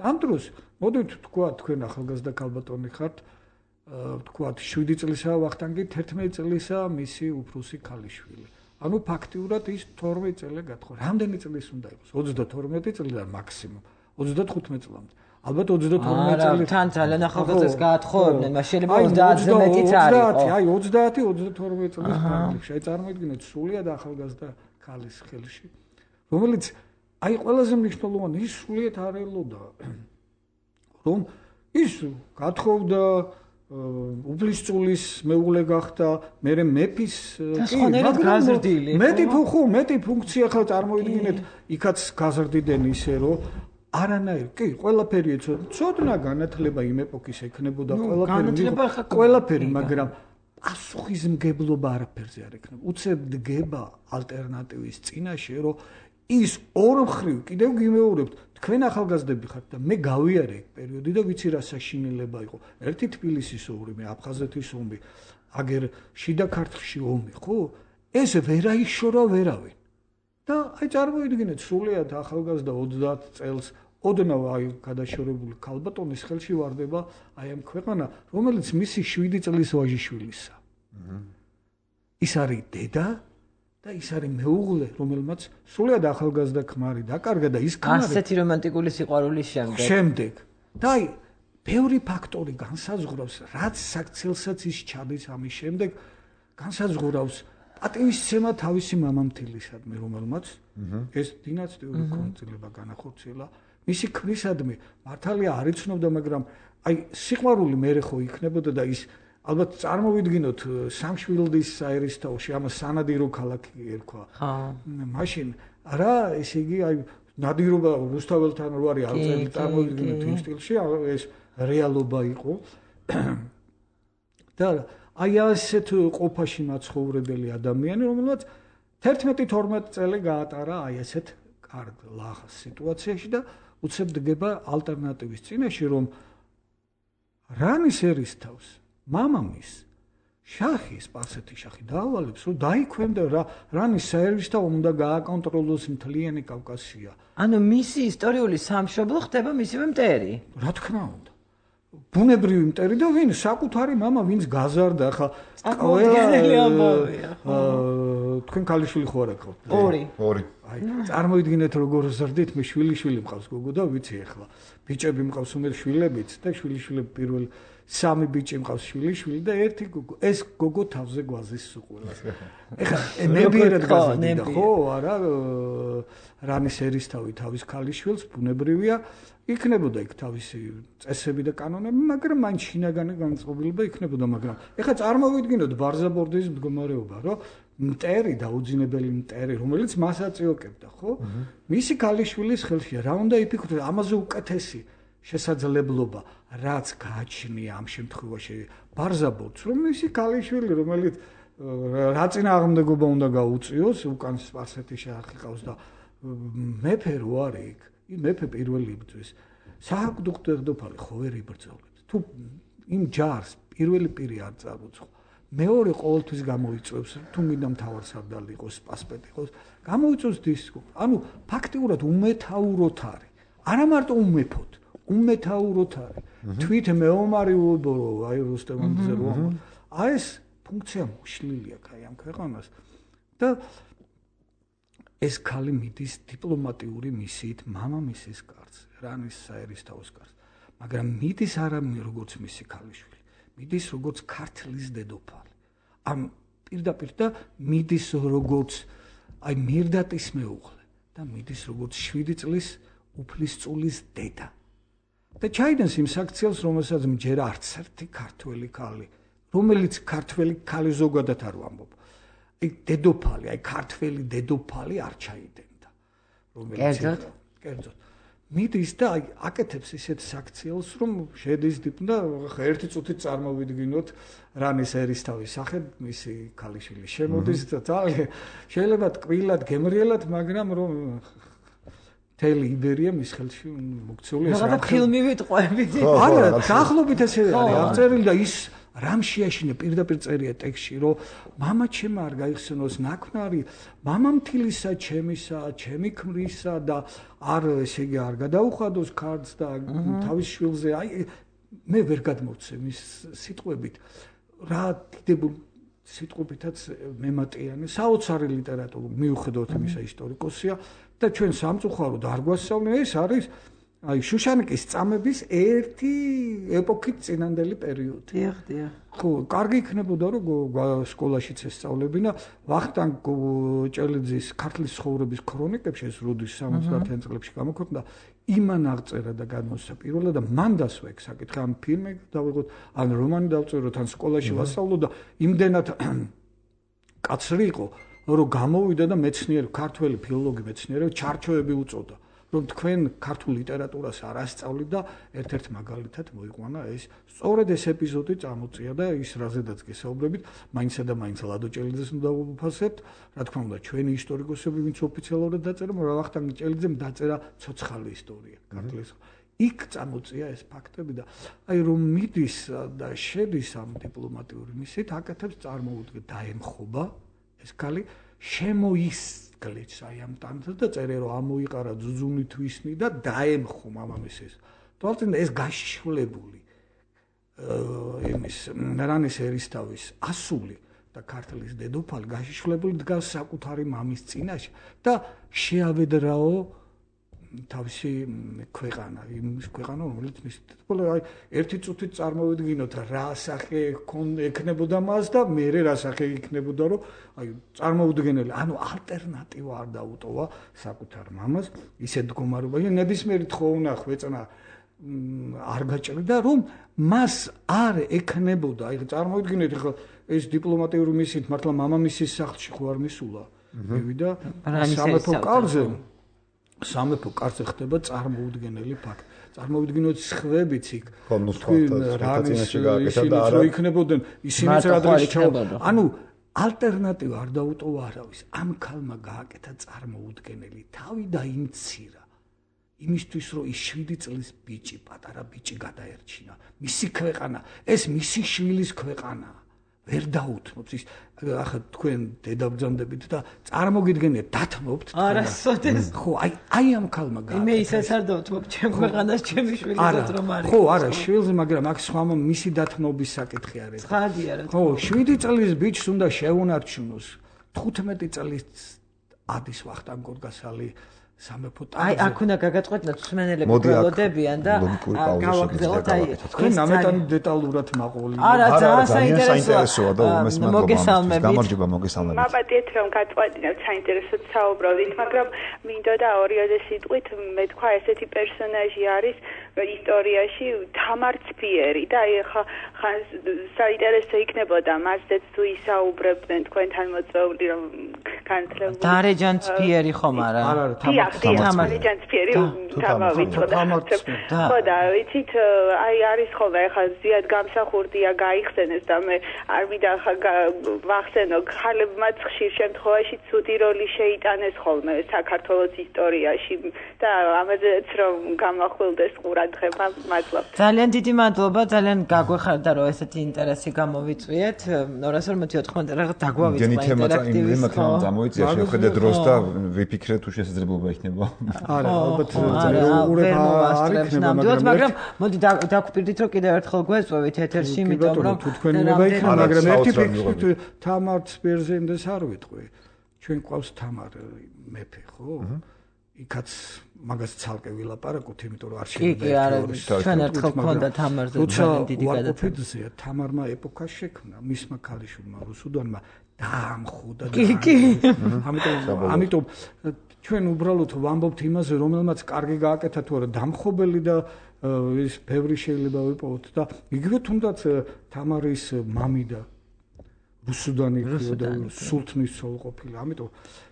ამ დროს მოდით თქვა თქვენ ახალგაზრდა ქალბატონი ხართ, თქვათ 7 წლისაა ვახტანგი, 11 წლისაა მისი უფროსი ქალიშვილი. ანუ ფაქტიურად ის 12 წელი გათხო. რამდენი წლის უნდა იყოს? 32 წლიდან მაქსიმუმ 35 წლამდე. ალბათ 32 წელი. თან ძალიან ახალგაზრდას გაათხოვებდნენ, მაგრამ შეიძლება 30-ზე მეტიც არ იყო. აი 30-32 წლის პერიოდში. აი წარმოიდგინეთ სულიად ახალგაზრდა ქალის ხელში, რომელიც აი ყველაზე მნიშვნელოვანი ის სულიად არ ელოდა, რომ ის გათხოვდა უბლისწულის მეუღლე გახდა, მერე მეფის გაზრდილი. მეტი ფუნქცია ხა წარმოიდგინეთ, იქაც გაზრდიდნენ ისე რომ არანაირ, კი, ყველაფერი ცოდნა განათლება იმ ეპოქის ექნებოდა ყველაფერი, მაგრამ პასუხისმგებლობა არაფერზე არ ექნება. უცებ დგება ალტერნატივის წინაშე, რომ ის ორმხრივ კიდევ გიმეორებთ, თქვენ ახალგაზრდები ხართ და მე გავიარე ეგ პერიოდი და ვიცი რა საშინელება იყო. ერთი თბილისის ომი, მე აფხაზეთის ომი, აგერ შიდა ქართლში ომი, ხო? ეს ვერ აიშორა ვერავინ. და აი წარმოიდგინეთ სულიად ახალგაზრდა 30 წელს ოდნავ აი გადაშორებული ქალბატონის ხელში ვარდება აი ამ ქვეყანა, რომელიც მისი 7 წლის ვაჟიშვილისა. ის არის დედა და ის არის მეუღლე, რომელმაც სულიად ახალგაზრდა ქმარი დაკარგა და ის ქმარი ასეთი რომანტიკული სიყვარულის შემდეგ. და აი ბევრი ფაქტორი განსაზღვრავს, რაც საქციელსაც ის ჩადის ამის შემდეგ, განსაზღვრავს პატივისცემა თავისი მამამთილისადმი, რომელმაც ეს დინასტიური ქორწინება განახორციელა. მისი ქმრისადმი მართალია არ იცნობდა, მაგრამ აი სიყვარული მერე ხო იქნებოდა და ის ალბათ წარმოვიდგინოთ სამშვილდის საერისთავოში, ამას სანადირო ქალაქი ერქვა. მაშინ რა, ესე იგი აი ნადირობა რუსთაველთან რო არის არწელი წარმოვიდგინოთ იმ სტილში, ეს რეალობა იყო. და აი ასეთ ყოფაში მაცხოვრებელი ადამიანი, რომელსაც 11-12 წელი გაატარა აი ესეთ კარგ ლახას სიტუაციაში და უცებ დგება ალტერნატივის წინაშე, რომ რანის ერისთავს მამამის შახი, სპარსეთის შახი დაავალებს, რომ დაიქვემდა რანის საერისთავო უნდა გააკონტროლოს მთლიანი კავკასია. ანუ მისი ისტორიული სამშობლო ხდება მისივე მტერი. რა თქმა უნდა. ბუნებრივი მტერი და ვინ საკუთარი მამა, ვინც გაზარდა, ხა თქვენ ქალიშვილი ხო არ აქვს? ორი. აი, წარმოიდგინეთ როგორ ზრდით, მე შვილი მყავს გოგო და ვიცი ახლა. ბიჭები მყავს უმეტ შვილებიც და შვილიშვილები პირველ 3 ბიჭი მყავს შვილიშვილი და 1 გოგო. ეს გოგო თავზე გვაზის სუყურას. ეხლა ნებიერად გაზრდიდა ხო? არა, რანის ერისთავი თავის ქალიშვილს ბუნებრივია იქნებოდა იქ თავისი წესები და კანონები, მაგრამ მაინც შინაგანი განწყობილება იქნებოდა, მაგრამ ეხლა წარმოვიდგინოთ ბარზაბორდის მდგომარეობა, რომ მტერი დაუძინებელი მტერი, რომელიც მას აწიოკებდა, ხო? მისი ქალიშვილის ხელშია, რა უნდა იფიქროთ, ამაზე უკეთესი შესაძლებლობა, რაც გააჩნია ამ შემთხვევაში ბარზაბორდს, რომ მისი ქალიშვილი, რომელიც რა წინააღმდეგობა უნდა გაუწიოს, უკან სპარსეთის შახი ყავს და მეფე რო არის იქ, მეფე პირველი იბრძვის. სააკდუხტო დედოფალი ხო ვერ იბრძოლებს. თუ იმ ჯარს პირველი პირი არ წარუცხო, მეორე ყოველთვის გამოიწვევს, თუ მინდა მთავარსარდალი იყოს, პასპეტი იყოს, გამოიწვევს დისკო. ანუ ფაქტიურად უმეთაუროთ არის. არა მარტო უმეფოთ, უმეთაუროთ არის. თვით მეომარი უბორო, აი რუსტემანძე რო. აი ეს ფუნქცია მოშლილი აქვს აი ამ ქვეყანას და ეს ქალი მიდის დიპლომატიური მისიით მამამისის კარზე, რანის საერისთავოს კარზე. მაგრამ მიდის არა როგორც მისი ქალიშვილი, მიდის როგორც ქართლის დედოფალი. ამ პირდაპირ და მიდის როგორც აი მირდატის მეუღლე და მიდის როგორც 7 წლის უფლისწულის დედა. და ჩაიდენს იმ საქციელს, რომელსაც ჯერ არც ერთი ქართველი ქალი, რომელიც ქართველი ქალი ზოგადად არ ვამბობ. აი დედოფალი, აი ქართველი დედოფალი არ ჩაიდენდა. კერძოდ. მიდის და აი აკეთებს ისეთ საქციელს, რომ შედის და ერთი წუთით წარმოვიდგინოთ რანის ერისთავის სახე მისი ქალიშვილი შემოდის და ძალიან შეიძლება ტკბილად გემრიელად, მაგრამ რომ თელი იბერია მის ხელში მოქცეული ეს რა ფილმი ვიტყვებით. არა, დაახლოებით ესე არის აღწერილი და ის რამ შეაშინა პირდაპირ წერია ტექსტში, რომ მამა ჩემ არ გაიხსენოს ნაქმარი, მამამთილისა ჩემისა, ჩემი ქმრისა და არ ესე იგი არ გადაუხადოს ქარდს და თავის შვილზე, აი მე ვერ გადმოვცე მის სიტყვებით. რა დიდებულ სიტყვებითაც მემატიანე, საოცარი ლიტერატურა, მიუხედავად იმისა ისტორიკოსია და ჩვენ სამწუხაროდ არ გვასწავლენ, ეს არის აი შუშანიკის წამების ერთი ეპოქით წინანდელი პერიოდი. დიახ. ხო, კარგი იქნებოდა რომ სკოლაშიც ესწავლებინა ვახტანგ ჭელიძის ქართლის ცხოვრების ქრონიკებში ეს როდის 70-იან წლებში გამოქვეყნდა, იმან აღწერა და განმოსცა პირველად და მან დასვა ეგ საკითხი, ან ფილმი დავიღოთ, ან რომანი დავწეროთ, ან სკოლაში ვასწავლო და იმდენად კაცრი იყო, რომ გამოვიდა და მეცნიერი, ქართველი ფილოლოგი მეცნიერები ჩარჩოები უწოდა. რომ თქვენ ქართულ ლიტერატურას არ ასწავლით და ერთ-ერთ მაგალითად მოიყვანა ეს სწორედ ეს ეპიზოდი წამოწია და ის რაზედაც გესაუბრებით მაინცსა და მაინც ლადო ჭელიძეს უნდა ვუფასებთ რა თქმა უნდა ჩვენი ისტორიკოსები ვინც ოფიციალურად დაწერა ვახტანგ ჭელიძემ დაწერა ცოცხალი ისტორია ქართლის იქ წამოწია ეს ფაქტები და აი რომ მიდის და შედის ამ დიპლომატიური მისიით აკეთებს წარმოუდგეთ დაემხობა ეს ქალი შემოისგლეც აი ამ ტანზე და წერე რომ ამოიყარა ძუძუნი თვისნი და დაემხო მამამისის. თვალწინ ეს გაშიშვლებული იმის რანის ერისთავის ასული და ქართლის დედოფალი გაშიშვლებული დგას საკუთარი მამის წინაშე და შეავედრაო თავისი ქვეყანა, იმის ქვეყანა, რომელიც მის აი ერთი წუთით წარმოვიდგინოთ რა სახე ექნებოდა მას და მერე რა სახე იქნებოდა, რომ აი წარმოუდგენელი, ანუ ალტერნატივა არ დაუტოვა საკუთარ მამას, ისეთ მდგომარეობაში, ნებისმიერი თხოვნახ ვეწნა არ გაჭრიდა, რომ მას არ ექნებოდა, აი წარმოუდგინეთ ხო ეს დიპლომატიური მისიით მართლა მამამისის სახლში ხო არ მისულა, მივიდა სამეფო კარზე სამეფო კარზე ხდება წარმოუდგენელი ფაქტი. წარმოვიდგინოთ სხვებიც იქ. რანის ისინიც რო იქნებოდნენ, ისინიც რადრეს ჩავა. ანუ ალტერნატივა არ დაუტოვა არავის. ამ ქალმა გააკეთა წარმოუდგენელი თავი და იმცირა. იმისთვის რომ ის 7 წლის ბიჭი, პატარა ბიჭი გადაერჩინა. მისი ქვეყანა, ეს მისი შვილის ქვეყანაა. ვერ დაუთმობს ის ახლა თქვენ დედაბრძანდებით და წარმოგიდგენიათ დათმობთ არასოდეს ხო აი ამ ქალმა გააკეთა მე ისაც არ დავთმობ ჩემ ქვეყანას ჩემი შვილისაც რომ არის ხო არა შვილზე მაგრამ აქ სხვა მისი დათმობის საკითხი არის ხადია რა ხო 7 წლის ბიჭს უნდა შეუნარჩუნოს 15 წლის ადის ვახტანგ გორგასალი სამეფო ტახტზე. აი, აქ უნდა გაგაწყვეტნოთ სმენელები გველოდებიან და გავაგზავნოთ აი თქვენ ამიტომ დეტალურად მაყოლი. არა, ძალიან საინტერესოა და მოგესალმებით. გამარჯობა, მოგესალმებით. მაპატიეთ რომ გაწყვეტინებთ საინტერესოდ საუბრობთ, მაგრამ მინდოდა ორიოდე სიტყვით მე თქვა ესეთი პერსონაჟი არის ისტორიაში თამარ ცფიერი და აი ხა საინტერესო იქნებოდა მასზეც თუ ისაუბრებდნენ თქვენთან მოწვეული რომ განცლებული. დარეჯან ცფიერი ხომ არა? არა, თამარ ჯანცფიერი თამავიწყდა. ხო და ვიცით აი არის ხოლმე ხა ზიად გამსახურდია გაიხსენეს და მე არ მინდა ხა ვახსენო ხალებმაც ხშირ შემთხვევაში ცუდი როლი შეიტანეს ხოლმე საქართველოს ისტორიაში და ამაზეც რომ გამახვილდეს ყურადღება მადლობთ. ძალიან დიდი მადლობა, ძალიან გაგვეხარდა რომ ესეთი ინტერესი გამოვიწვიეთ. 250 რაღაც დაგვავიწყდა ინტერაქტივის თემა გამოიწია შეხედე დროს და ვიფიქრე თუ შესაძლებლობა იქნება. არა, ალბათ არის ნამდვილად, მაგრამ მოდი დაგვპირდით რომ კიდევ ერთხელ გვეწვევით ეთერში, იმიტომ რომ თუ თქვენინება იქნება, მაგრამ ერთი ფიქრით თამარ ცფიერზე იმდეს არ ვიტყვი. ჩვენ ყავს თამარ მეფე, ხო? იქაც მაგას ცალკე ვილაპარაკოთ, იმიტომ რომ არ შეიძლება ჩვენ ერთხელ გქონდა თამარზე დიდი გადაცემა. თამარმა ეპოქა შექმნა, მისმა ქალიშვილმა რუსუდანმა დაამხოდა. ამიტომ ჩვენ უბრალოდ ვამბობთ იმაზე, რომელმაც კარგი გააკეთა თუ არა დამხობელი და ის ბევრი შეიძლება ვიპოვოთ და იგივე თუნდაც თამარის მამი და რუსუდანი და სულთნის ცოლ ყოფილა. ამიტომ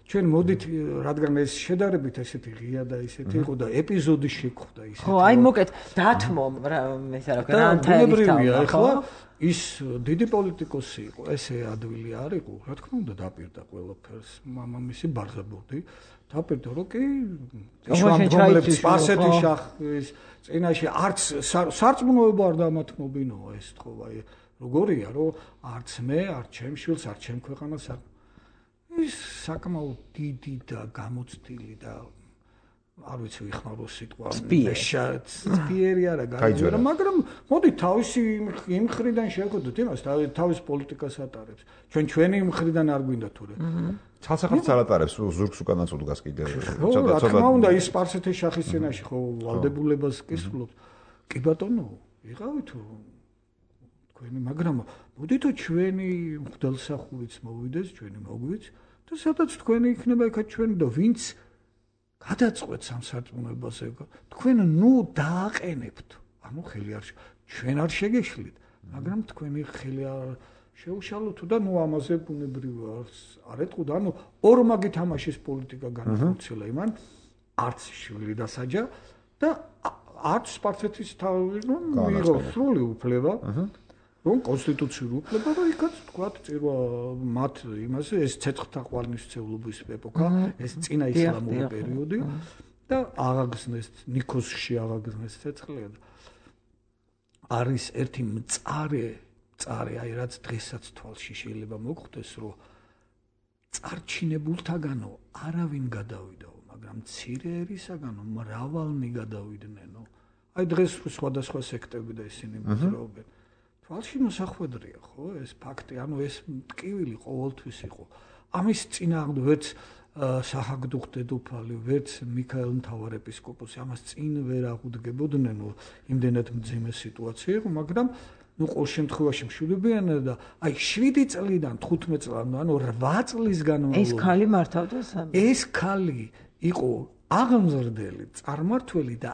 ჩვენ მოდით, რადგან ეს შედარებით ესეთი ღია და ესეთი იყო და ეპიზოდი შეხვდა ისეთი. ხო, აი მოკეთ დათმო ეს რა ქვია, ანთაერია ახლა ის დიდი პოლიტიკოსი იყო, ესე ადვილი არ იყო, რა თქმა უნდა დაპირდა ყველაფერს, მამამისი ბარზაბურდი დაპირდა, რომ კი შუამდგომლებს სპარსეთის შახის წინაშე არც სარწმუნოება არ დამათმობინოა ეს თქო, აი როგორია, რომ არც მე, არც ჩემ შვილს, არც ჩემ ქვეყანას არ ის საკმაოდ დიდი და გამოცდილი და არ ვიცი ვიხმარო სიტყვა სპიერი არა გაიძვერა, მაგრამ მოდი თავისი იმ მხრიდან შევხედოთ იმას, თავის პოლიტიკას ატარებს. ჩვენი მხრიდან არ გვინდა თურე. ცალსახად ატარებს ზურგს უკანაც უდგას კიდე. რა თქმა უნდა, ის სპარსეთის შახის წინაშე ხო ვალდებულებას კისრულობთ. კი ბატონო, იღავით თქვენი, მაგრამ მოდითო ჩვენი მღვდელსახურიც მოვიდეს, ჩვენი მოგვიც და სადაც თქვენი იქნება იქაც ჩვენი და ვინც გადაწყვეტს ამ სარწმუნოებაზე, თქვენ ნუ დააყენებთ. ანუ ხელი არ ჩვენ არ შეგეშლით, მაგრამ თქვენი ხელი არ შეუშალოთ და ნუ ამაზე ბუნებრივია არ ეტყუდა. ანუ ორმაგი თამაშის პოლიტიკა განახორციელა იმან, არც შვილი დასაჯა და არც სპარსეთის თავი მიიღო სრული უფლება. რომ კონსტიტუციური უფლება და იქაც თქვათ წირვა მათ იმაზე ეს ცეცხლთა ყვალნისმცემლობის ეპოქა, ეს წინა ისლამური პერიოდი და აღაგზნეს ნიქოზში აღაგზნეს ცეცხლი და არის ერთი მწარე, აი რაც დღესაც თვალში შეიძლება მოხვდეს, რომ წარჩინებულთაგანო არავინ გადავიდაო, მაგრამ მცირე ერისაგანო მრავალნი გადავიდნენო. აი დღეს სხვადასხვა სექტები და ისინი მოძრაობენ. თვალში მოსახვედრია ხო ეს ფაქტი, ანუ ეს ტკივილი ყოველთვის იყო. ამის წინააღმდეგ ვერც საჰაგდუხ დედოფალი, ვერც მიქაელ მთავარეპისკოპოსი ამას წინ ვერ აღუდგებოდნენ, იმდენად მძიმე სიტუაცია იყო, მაგრამ ნუ ყოველ შემთხვევაში მშვიდობიან და აი 7 წლიდან 15 წლამდე, ანუ 8 წლის განმავლობაში ეს ქალი მართავდა ეს ქალი იყო აღმზრდელი, წარმართველი და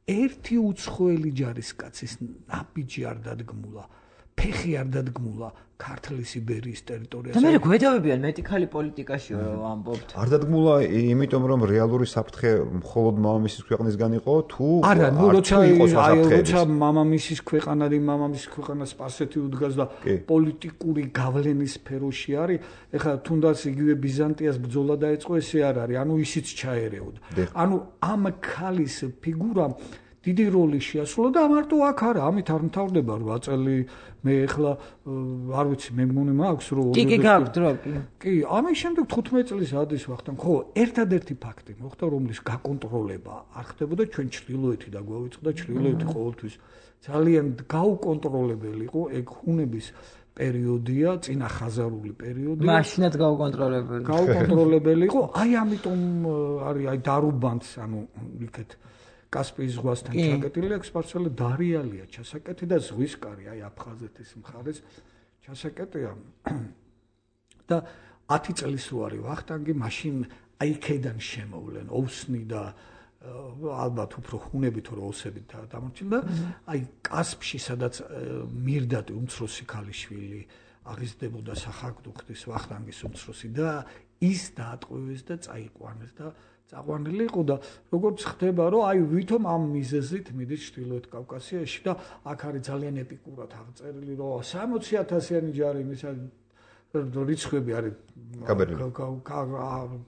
ერთი უცხოელი ჯარისკაცის ნაბიჯი არ დადგმულა. ფეხი არ დადგმულა ქართლის იბერიის ტერიტორიაზე. და მე გვედავებიან მეტი ქალი პოლიტიკაშიო ამბობთ. არ დადგმულა იმიტომ რომ რეალური საფრთხე მხოლოდ მამამისის ქვეყნისგან იყო თუ არა, ნუ როცა მამამისის ქვეყანა სპარსეთი უდგას და პოლიტიკური გავლენის სფეროში არის, ეხლა თუნდაც იგივე ბიზანტიას ბრძოლა დაეწყო, ესე არ არის, ანუ ისიც ჩაერეოდა. ანუ ამ ქალის ფიგურა დიდი როლი შეასრულა და ამარტო აქ არა, ამით არ მთავრდება 8 წელი. მე ეხლა არ ვიცი, მე მგონი მაქვს რომ კი გაქვთ რა კი, ამის შემდეგ 15 წლის ადის ვახტანგ. ხო, ერთადერთი ფაქტი მოხდა, რომლის გაკონტროლება არ ხდებოდა ჩვენ ჩრდილოეთი და გვავიწყდა ჩრდილოეთი ყოველთვის ძალიან გაუკონტროლებელი იყო, ეგ ჰუნების პერიოდია, წინა ხაზარული პერიოდია. მაშინაც გაუკონტროლებელი იყო, აი ამიტომ არის აი დარუბანს, ანუ იქეთ კასპიის ზღვასთან ჩაკეტილი აქვს სპარსელი დარიალია ჩასაკეტი და ზღვისკარი აი აფხაზეთის მხარეს ჩასაკეტია და 10 წლის უარი ვახტანგი მაშინ აი იქიდან შემოვლენ ოვსნი და ალბათ უფრო ხუნები თუ როსები დამორჩილდა აი კასპში სადაც მირდატი უმცროსი ქალიშვილი აღიზრდებოდა სახაკდუხტის ვახტანგის უმცროსი და ის დაატყვევეს და წაიყვანეს და წაყვანილი იყო და როგორც ხდება რომ აი ვითომ ამ მიზეზით მიდის ჩრდილოეთ კავკასიაში და აქ არის ძალიან ეპიკურად აღწერილი რომ 60,000-იანი ჯარი მისა რიცხვები არის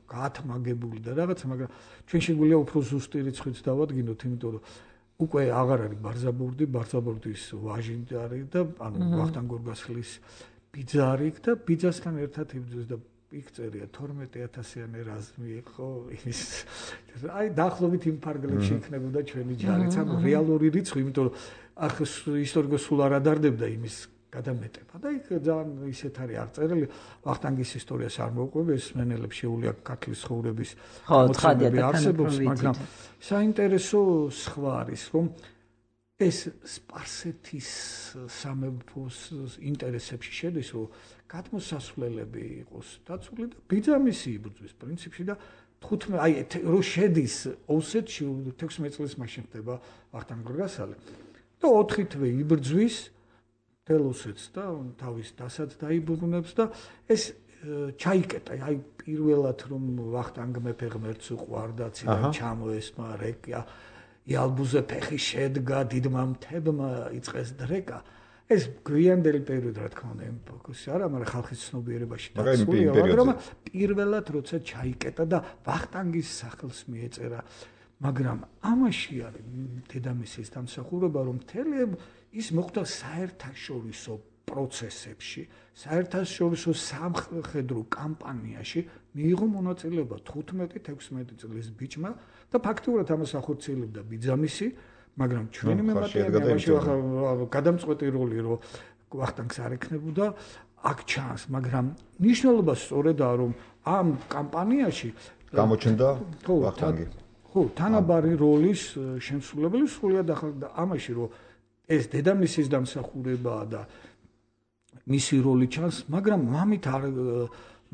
გაათმაგებული და რაღაცა, მაგრამ ჩვენ შეგვიძლია უფრო ზუსტი რიცხვიც დავადგინოთ, იმიტომ რომ უკვე აღარ არის ბარზაბურდის ვაჟი არის და ანუ ვახტანგ გორგასლის ბიძა არის და ბიძასთან ერთად იბრძვის და იქ წერია 12,000-იანი რაზმი იყო ის აი დაახლოებით იმ ფარგლებში იქნებოდა ჩვენი ჯარიც, ანუ რეალური რიცხვი, იმიტომ რომ ახ ისტორიკოს სულ არ ადარდებდა იმის გადამეტება და იქ ძალიან ისეთ არის აღწერილი ვახტანგის ისტორიას არ მოვყვები ეს მენელებს შეუძლია ქართლის ცხოვრების მოწმობები არსებობს მაგრამ საინტერესო სხვა არის რომ ეს სპარსეთის სამეფოს ინტერესებში შედის რომ გადმოსასვლელები იყოს დაცული და ბიძამისი იბრძვის პრინციპში და 15 აი რო შედის ოსეთში 16 წლის მაშინ ხდება ვახტანგ გორგასალი და 4 თვე იბრძვის თელოსეთს და თავის დასად დაიბრუნებს და ეს ჩაიკეტა აი პირველად რომ ვახტანგ მეფე ღმერთს უყვარდა ციდან ჩამოესმა რეკა იალბუზე ფეხი შედგა დიდმა მთებმა იწყეს დრეკა ეს გვიანდელი პერიოდი რა თქმა უნდა ფოკუსი არა მაგრამ ხალხის ცნობიერებაში დაცულია მაგრამ პირველად როცა ჩაიკეტა და ვახტანგის სახელს მიეწერა მაგრამ ამაში არის დედამისის დამსახურება რომ მთელი ის მოხდა საერთაშორისო პროცესებში საერთაშორისო სამხედრო კამპანიაში მიიღო მონაწილეობა 15-16 წლის ბიჭმა და ფაქტიურად ამას ახორციელებდა ბიძამისი მაგრამ ჩვენი მემატიანე ამაში გადამწყვეტი როლი რომ ვახტანგს არ ექნებოდა აქ ჩანს მაგრამ ნიშნულობა სწორედაა რომ ამ კამპანიაში გამოჩნდა ვახტანგი ხო თანაბარი როლის შემსრულებელი სრულიად ახალდა ამაში რომ ეს დედამისის დამსახურებაა და მისი როლი ჩანს მაგრამ მამით არ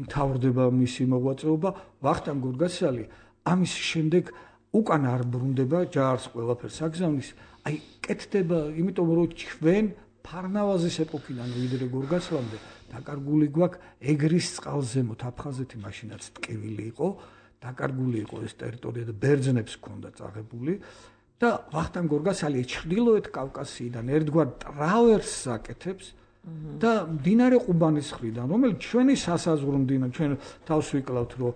მთავრდება მისი მოღვაწეობა ვახტანგ გორგასალი ამის შემდეგ უკან არ ბრუნდება ჯარს ყველაფერს აგზავნის აი კეთდება იმიტომ რომ ჩვენ ფარნავაზის ეპოქიდან ვიდრე გორგასლამდე დაკარგული გვაქვს ეგრის წყალზემოთ აფხაზეთი მაშინაც ტკივილი იყო დაკარგული იყო ეს ტერიტორია და ბერძნებს ჰქონდა წაღებული და ვახტანგ გორგასალი ჩრდილოეთ კავკასიიდან ერთგვარ ტრავერსს აკეთებს და მდინარე ყუბანის მხრიდან რომელიც ჩვენი სასაზღვრო მდინარე ჩვენ თავს ვიკლავთ რომ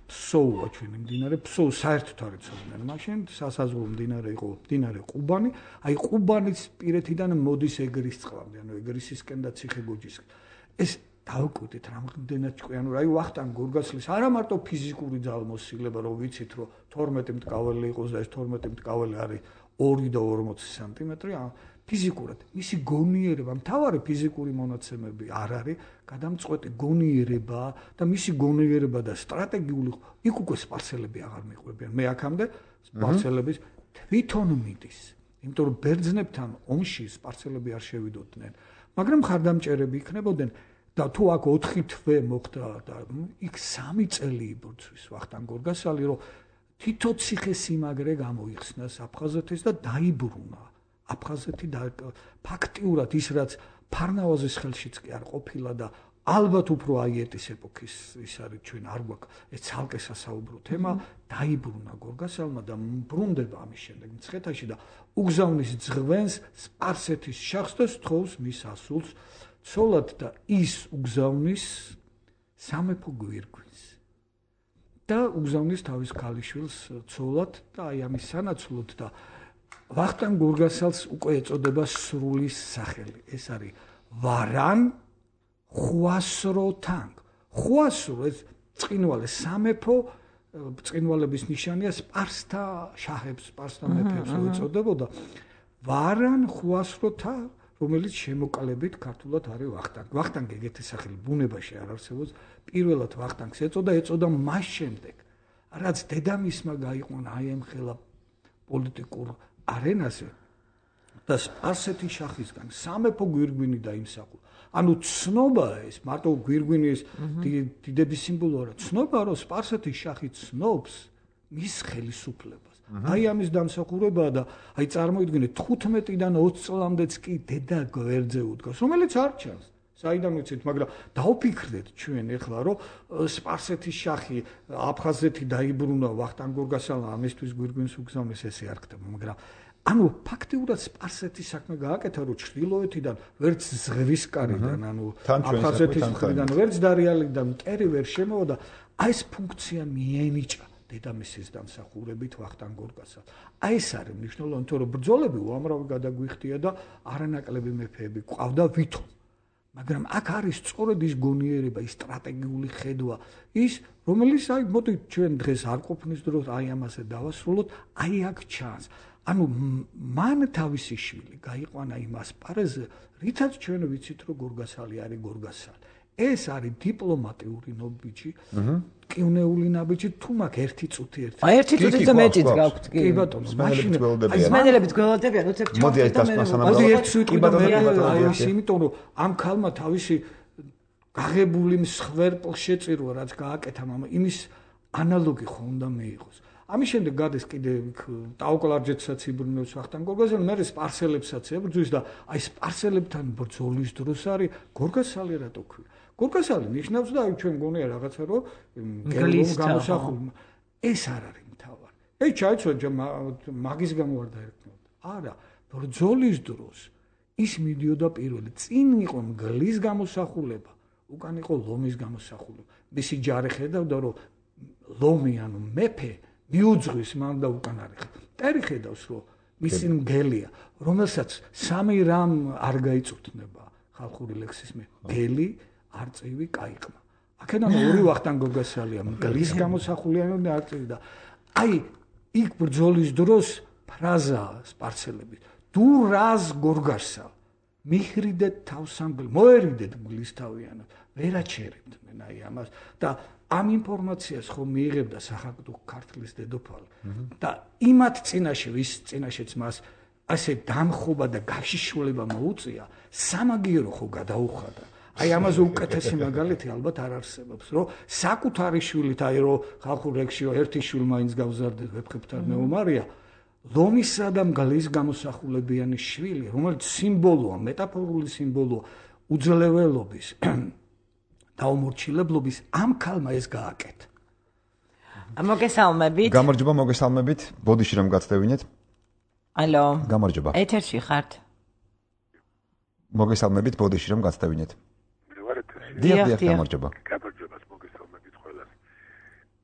ფსოუა ჩვენი მდინარე ფსოუ საერთოდ არ იცოდნენ მაშინ სასაზღვრო მდინარე იყო მდინარე ყუბანი აი ყუბანის პირეთიდან მოდის ეგრის წყლამდე ანუ ეგრისისკენ და ციხე-გოჯისკენ ეს დავკვირდით რამდენად ჭკვიანი აი ვახტანგ გორგასლის არა მარტო ფიზიკური ძალმოსილება რომ ვიცით რომ 12 მტკაველი იყოს და ეს 12 მტკაველი არის 2 და 40 სანტიმეტრი ფიზიკურად მისი გონიერება მთავარი ფიზიკური მონაცემები არ არის გადამწყვეტი გონიერება და მისი გონიერება და სტრატეგიული იქ უკვე სპარსელები აღარ მიყვებიან მე აქამდე სპარსელების თვითონ მიდის იმიტომ რომ ბერძნებთან ომში სპარსელები არ შევიდოდნენ მაგრამ ხარდამჭერები იქნებოდნენ და თუ აქ 4 თვე მოხდა და იქ 3 წელი იბრძვის ვახტანგ გორგასალი რომ თითო ციხე-სიმაგრე გამოიხსნა აფხაზეთის და დაიბრუნა აფხაზეთი და ფაქტიურად ის რაც ფარნავაზის ხელშიც კი არ ყოფილა და ალბათ უფრო აიეტის ეპოქის ის არის ჩვენ არ გვაქვს ეს ცალკე სასაუბრო თემა დაიბრუნა გორგასალმა და ბრუნდება ამის შემდეგ მცხეთაში და უგზავნის ძღვენს სპარსეთის შახს და სთხოვს მის ასულს ცოლად და ის უგზავნის სამეფო გვირგვინს და უგზავნის თავის ქალიშვილს ცოლად და აი ამის სანაცვლოდ და ვახტანგ გორგასალს უკვე ეწოდება სრული სახელი ეს არის ვარან ხვასროთანგ ხვასრო ეს წინვალე სამეფო წინვალების ნიშანია სპარსთა შაჰებს სპარსთა მეფეებს ეწოდებოდა ვარან ხვასროთა რომელიც შემოკალებით ქართულად არის ვახტანგ ვახტანგ ეგეთი სახელი ბუნებაში არ არსებობს პირველად ვახტანგს ეწოდა მას შემდეგ რაც დედამისმა გაიყვანა აი ამ ხელა პოლიტიკურ არენაზე და სპარსეთის შახისგან სამეფო გვირგვინი დაიმსახურა. ანუ ცნობა ეს მარტო გვირგვინის დიდების სიმბოლო არა, ცნობა რომ სპარსეთის შახი ცნობს მის ხელისუფლებას. აი ამის დამსახურებაა და აი წარმოიდგინეთ 15-დან 20 წლამდეც კი დედა გვერდზე უდგას, რომელიც არ ჩანს. საიდან ვიცით, მაგრამ დაუფიქრდეთ ჩვენ ეხლა რომ სპარსეთის შახი აფხაზეთი დაიბრუნა ვახტანგ გორგასალმა ამისთვის გვირგვინს უგზავნის ესე არ ხდება, მაგრამ ანუ ფაქტიურად სპარსეთის საქმე გააკეთა რომ ჩრდილოეთიდან ვერც ზღვისკარიდან ანუ აფხაზეთის მხრიდან ვერც დარიალიდან მტერი ვერ შემოვა და აი ეს ფუნქცია მიენიჭა დედამისის დამსახურებით ვახტანგ გორგასალს. აი ეს არის მნიშვნელოვანი, თორე ბრძოლები უამრავი გადაგვიხდია და არანაკლები მეფეები ყავდა ვითომ. მაგრამ აქ არის სწორედ ის გონიერება, ის სტრატეგიული ხედვა, ის რომელიც აი მოდი ჩვენ დღეს არ ყოფნის დროს აი ამაზე დავასრულოთ, აი აქ ჩანს. ანუ მან თავისი შვილი გაიყვანა იმ ასპარეზზე, რითაც ჩვენ ვიცით, რომ გორგასალი არის გორგასალი. ეს არის დიპლომატიური ნაბიჯი, კივნეული ნაბიჯი, თუ მაგ ერთი წუთი ერთი. აი ერთი წუთი და მეტიც გაქვთ კი. კი ბატონო, მაშინ სმენელებით გველოდებიან, უცებ ჩავთ. მოდი ეს დასმასანა. მოდი ერთი წუთი და მე იმიტომ რომ ამ ქალმა თავისი გაღებული მსხვერპლ შეწირვა რაც გააკეთა მამა, იმის ანალოგი ხო უნდა მეიღოს. ამის შემდეგ გადის კიდე ტაოკლარჯეთსაც იბრუნებს ვახტანგ გორგასალი, მე სპარსელებსაც ებრძვის და აი სპარსელებთან ბრძოლის დროს არის გორგასალი რატო ქვია. გორგასალი ნიშნავს და აი ჩვენ გონია რაღაცა რომ გელოს გამოსახული. ეს არ არის მთავარი. ეი ჩაიცვა მაგის გამო არ დაერქნოდა. არა, ბრძოლის დროს ის მიდიოდა პირველი. წინ იყო მგლის გამოსახულება, უკან იყო ლომის გამოსახულება. მისი ჯარი ხედავდა რომ ლომი ანუ მეფე მიუძღვის მან და უკან არის. ტერი ხედავს რომ მისი მგელია, რომელსაც სამი რამ არ გაიწუთნება ხალხური ლექსის მე. გელი, არწივი, კაიყმა. აქედან ორი ვახტანგ გორგასალია, მგლის გამოსახულიანი და არწივი და აი იქ ბრძოლის დროს ფრაზა სპარსელების თუ რას გორგასალ მიხრიდეთ თავსანგლ მოერიდეთ გლისთავიანად ვერაჩერებთ მენ აი ამას და ამ ინფორმაციას ხომ მიიღებდა სახაკდო ქართლის დედოფალი და იმათ წინაშე ვის წინაშეც მას ასე დამხობა და გაშიშვლება მოუწია სამაგიერო ხო გადაუხადა აი ამაზე უკეთესი მაგალითი ალბათ არ არსებობს რომ საკუთარი შვილით აი რომ ხალხურ ლექსში ერთი შვილი მაინც გავზარდეთ ვეფხებთან მეომარია ლომისა და მგლის გამოსახულებიანი შვილი რომელიც სიმბოლოა მეტაფორული სიმბოლოა უძლეველობის დაუმორჩილებლობის ამ ქალმა ეს გააკეთა. მოგესალმებით. გამარჯობა, მოგესალმებით. ბოდიში რომ გაცდევინეთ. ალო. გამარჯობა. ეთერში ხართ. მოგესალმებით, ბოდიში რომ გაცდევინეთ. მე ვარ ეთერში. დიახ, გამარჯობა. გამარჯობა, მოგესალმებით ყველას.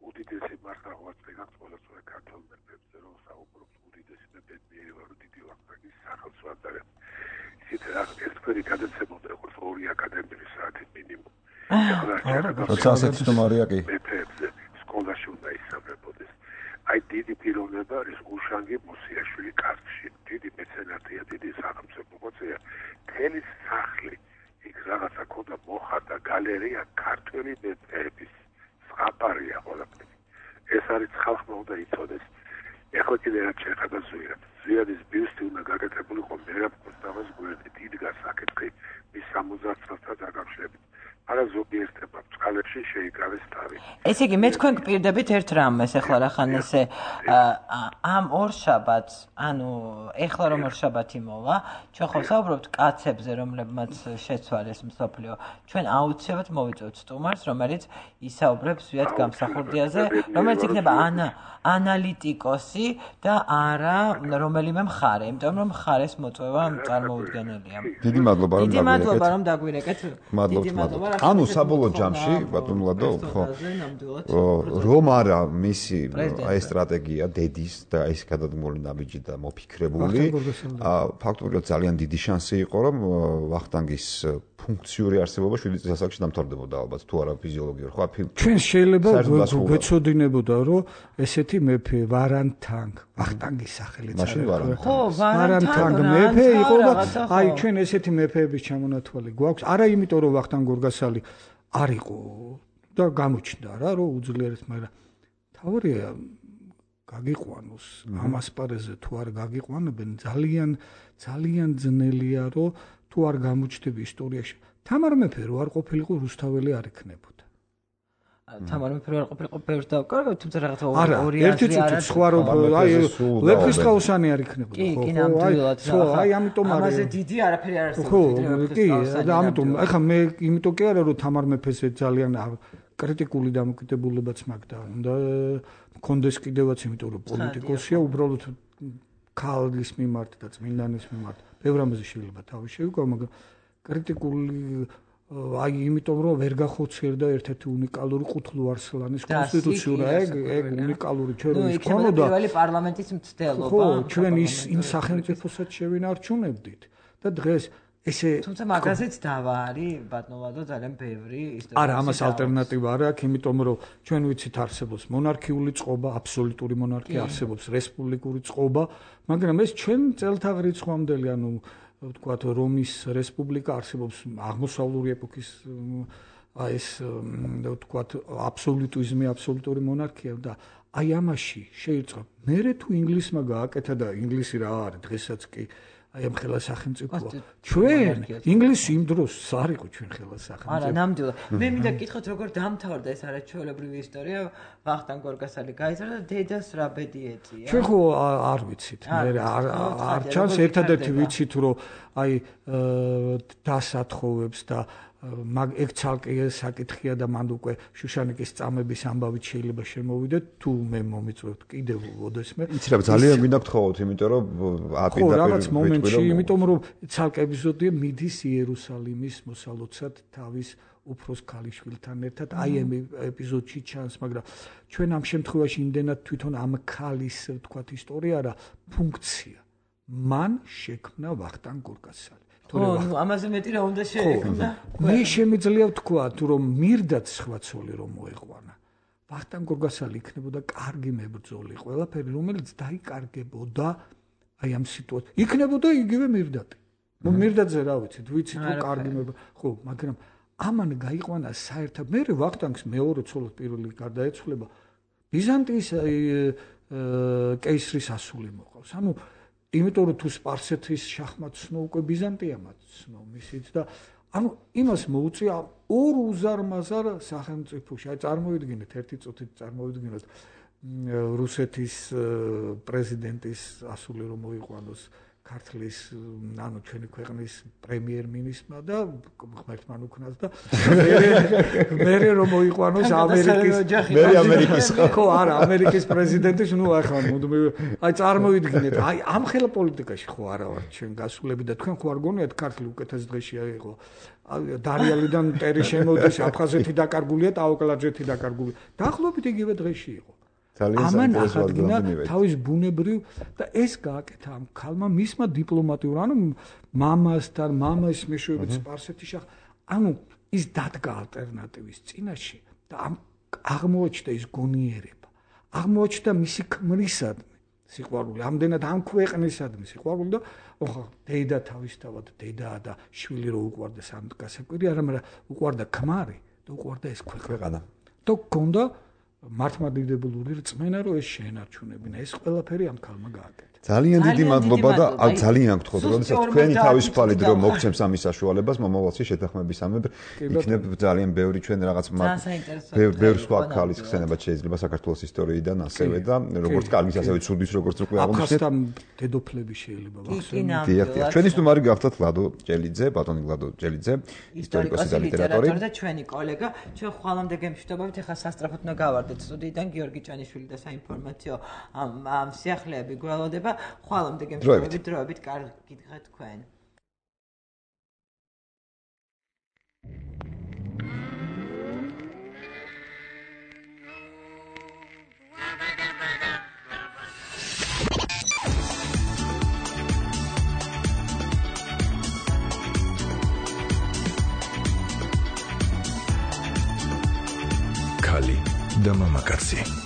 უდიდესი მართლაც ვეგახ ყველას ქართულ მეფეებზე რომ საუბრობს უდიდესი მეფე მიევა რომ დიდი ვახტანგის სახელს ვატარებ. ისეთ ერთგვარი გადაცემოდა როგორც ორი აკადემიური საათი მინიმუმ. როცა ასეთი სტუმარია კი მეფეებზე სკოლაში უნდა ისწავლებოდეს. აი დიდი პიროვნება არის უშანგი მოსიაშვილი კარში. დიდი მეცენატია, დიდი სახელმწიფო მოწია. თელი სახლი იქ რაღაცა ქონდა მოხატა გალერეა ქართველი მეფეების ზღაპარია ყველაფერი. ეს არის ხალხმა უნდა იცოდეს. ეხლა კიდე რაც შეეხება ზვიად. ზვიადის ბიუსტი უნდა გაკეთებულიყო მერაბ კოსტავას გვერდით. იდგა საკითხი მის 70 წელთან დაკავშირებით. არა ზოგიერთება წყალებში შეიკავეს თავი. ესე იგი მე თქვენ გპირდებით ერთ რამეს ახლა რახან ესე ამ ორშაბათს, ანუ ეხლა რომ ორშაბათი მოვა, ჩვენ ხო საუბრობთ კაცებზე, რომლებმაც შეცვალეს მსოფლიო. ჩვენ აუცილებლად მოვიწევთ სტუმარს, რომელიც ისაუბრებს ზვიად გამსახურდიაზე, რომელიც იქნება ანალიტიკოსი და არა რომელიმე მხარე, იმიტომ რომ მხარეს მოწვევა წარმოუდგენელია. დიდი მადლობა რომ დიდი მადლობა რომ დაგვირეკეთ. მადლობა. ანუ საბოლოო ჯამში ბატონ ლადო ხო რომ არა მისი აი სტრატეგია დედის და ეს გადადგმული ნაბიჯი და მოფიქრებული ფაქტობრივად ძალიან დიდი შანსი იყო რომ ვახტანგის ფუნქციური არსებობა 7 წლის ასაკში დამთავრდებოდა ალბათ თუ არა ფიზიოლოგიურად ხო ჩვენ შეიძლება გვეცოდინებოდა რომ ესეთი მეფე ვარანთანგ ვახტანგის სახელით ხო ვარანთანგ მეფე იყო და აი ჩვენ ესეთი მეფეების ჩამონათვალი გვაქვს არა იმიტომ რომ ვახტანგ გორგასალი არ იყო და გამოჩნდა რა რომ უძლიერეს მაგრამ თავარია გაგიყვანოს ამ ასპარეზზე თუ არ გაგიყვანებენ ძალიან ძნელია რომ თუ არ გამოჩნდები ისტორიაში თამარ მეფე რო არ ყოფილიყო რუსთაველი არ იქნებოდა თამარ მეფე რო არ ყოფილიყო ბევრს დავკარგავ თუმცა რაღაცა ორი ერთი წუთი სხვა რო აი ლეფხისტყაოსანი არ იქნებოდა კი ნამდვილად აი ამიტომ არის ამაზე დიდი არაფერი არ არსებობს ხო კი და ამიტომ ახლა მე იმიტომ კი არა რომ თამარ მეფეზე ძალიან კრიტიკული დამოკიდებულებაც მაქვს და უნდა მქონდეს კიდევაც იმიტომ რომ პოლიტიკოსია უბრალოდ ქალის მიმართ და წმინდანის მიმართ ბევრ ამაზე შეიძლება თავი შევიკავო მაგრამ კრიტიკული აი იმიტომ რომ ვერ გახოციერდა ერთ-ერთი უნიკალური ყუთლუ არსლანის კონსტიტუცია ეგ უნიკალური ჩვენ ის ქონოდა პირველი პარლამენტის მცდელობა ხო ჩვენ ის იმ სახელმწიფოსაც შევინარჩუნებდით და დღეს თუმცა მაგაზეც დავა არის ბატონოვადო ძალიან ბევრი ისტორია. არა, ამას ალტერნატივა არ აქვს, იმიტომ რომ ჩვენ ვიცით არსებობს მონარქიული წყობა, აბსოლუტური მონარქია, არსებობს რესპუბლიკური წყობა, მაგრამ ეს ჩვენ წელთაღ რიცხვამდელი, ანუ ვთქვათ, რომის რესპუბლიკა არსებობს აღმოსავლური ეპოქის ეს ვთქვათ, აბსოლუტიზმი, აბსოლუტური მონარქია და აი ამაში შეირწყა. მერე თუ ინგლისმა გააკეთა და ინგლისი რა არის დღესაც კი აი ამ ხელა სახელმწიფოა. ჩვენ ინგლისი იმ დროს არ იყო ჩვენ ხელა სახელმწიფო. არა, ნამდვილად. მე მინდა გითხოთ როგორ დამთავრდა ეს არაჩვეულებრივი ისტორია. ვახტანგ გორგასალი გაიზარდა და დედას რა ბედი ეწია. ჩვენ ხო არ ვიცით. მე არ ჩანს ერთადერთი ვიცით რომ აი დასათხოვებს და ეგ ცალკე საკითხია და მანდ უკვე შუშანიკის წამების ამბავით შეიძლება შემოვიდეთ თუ მე მომიწვევთ კიდევ ოდესმე. იცი რა ძალიან მინდა გთხოვოთ, იმიტომ რომ ხო რაღაც მომენტში, იმიტომ რომ ცალკე ეპიზოდია მიდის იერუსალიმის მოსალოცად თავის უფროს ქალიშვილთან ერთად. აი ამ ეპიზოდში ჩანს, მაგრამ ჩვენ ამ შემთხვევაში იმდენად თვითონ ამ ქალის ვთქვათ ისტორია რა ფუნქცია. მან შექმნა ვახტანგ გორგასალი. ამაზე მეტი რა უნდა შეექმნა? მე შემიძლია ვთქვა, რომ მირდაც სხვა ცოლი რომ მოეყვანა. ვახტანგ გორგასალი იქნებოდა კარგი მებრძოლი, ყველაფერი რომელიც დაიკარგებოდა აი ამ სიტუაციით. იქნებოდა იგივე მირდატი. ნუ მირდატზე რა ვიცით, ვიცით რომ კარგი ხო, მაგრამ ამან გაიყვანა საერთოდ მე ვახტანგს მეორე ცოლად პირველი გარდაეცვალება ბიზანტიის კეისრის ასული მოყავს. ანუ იმიტომ რომ თუ სპარსეთის შაჰმატს ცნო უკვე ბიზანტიამაც ცნო მისიც და ანუ იმას მოუწია ორ უზარმაზარ სახელმწიფოში. აი წარმოიდგინეთ ერთი წუთით წარმოიდგინოთ რუსეთის პრეზიდენტის ასული რომ მოიყვანოს ქართლის ანუ ჩვენი ქვეყნის პრემიერ-მინისტრმა და ღმერთმა უკნას და მერე რომ მოიყვანოს ამერიკის ხო არა ამერიკის პრეზიდენტის ნუ ახლა აი წარმოიდგინეთ აი ამ ხელა პოლიტიკაში ხო არა ვარ ჩვენ გასულები და თქვენ ხო არ გონიათ ქართლი უკეთეს დღეში აიღო დარიალიდან მტერი შემოდის აფხაზეთი დაკარგულია ტაოკლარჯეთი დაკარგულია დაახლოებით იგივე დღეში იყო ამან ახადგინა თავის ბუნებრივ და ეს გააკეთა ამ ქალმა მისმა დიპლომატიურ ანუ მამასთან მამის მეშვეობით სპარსეთის შახ ანუ ის დადგა ალტერნატივის წინაშე და ამ აღმოჩნდა ის გონიერება აღმოჩნდა მისი ქმრისადმი სიყვარული ამდენად ამ ქვეყნისადმი სიყვარული და ოხა დედა თავისთავად დედაა და შვილი რო უყვარდა სამ გასაკვირი არა მაგრამ უყვარდა ქმარი და უყვარდა ეს ქვეყანა და გქონდა მართლმადიდებლური რწმენა რომ ეს შეენარჩუნებინა ეს ყველაფერი ამ ქალმა გააკეთა ძალიან დიდი მადლობა და ძალიან გთხოვთ როდესაც თქვენი თავისუფალი დრო მოგცემს ამის საშუალებას მომავალში შეთანხმებისამებრ იქნებ ძალიან ბევრი ჩვენ რაღაც ბევრ სხვა ქალის ხსენება შეიძლება საქართველოს ისტორიიდან ასევე და როგორც კარგის ასევე ცუდის როგორც უკვე აღმოჩნდეთ აფხაზთან დედოფლები შეიძლება ვახსენოთ დიახ ჩვენი სტუმარი გახდათ ლადო ჭელიძე ბატონი ლადო ჭელიძე ისტორიკოსი და ლიტერატორი და ჩვენი კოლეგა ჩვენ ხვალამდე გემშვიდობებით ახლა სასწრაფოდ უნდა გავარდეთ სტუდიიდან გიორგი ჭანიშვილი და საინფორმაციო ამ სიახლეები გველოდება ხვალამდე გემშვიდობებით დროებით კარგი გითხრათ თქვენ ქალი და მამაკაცი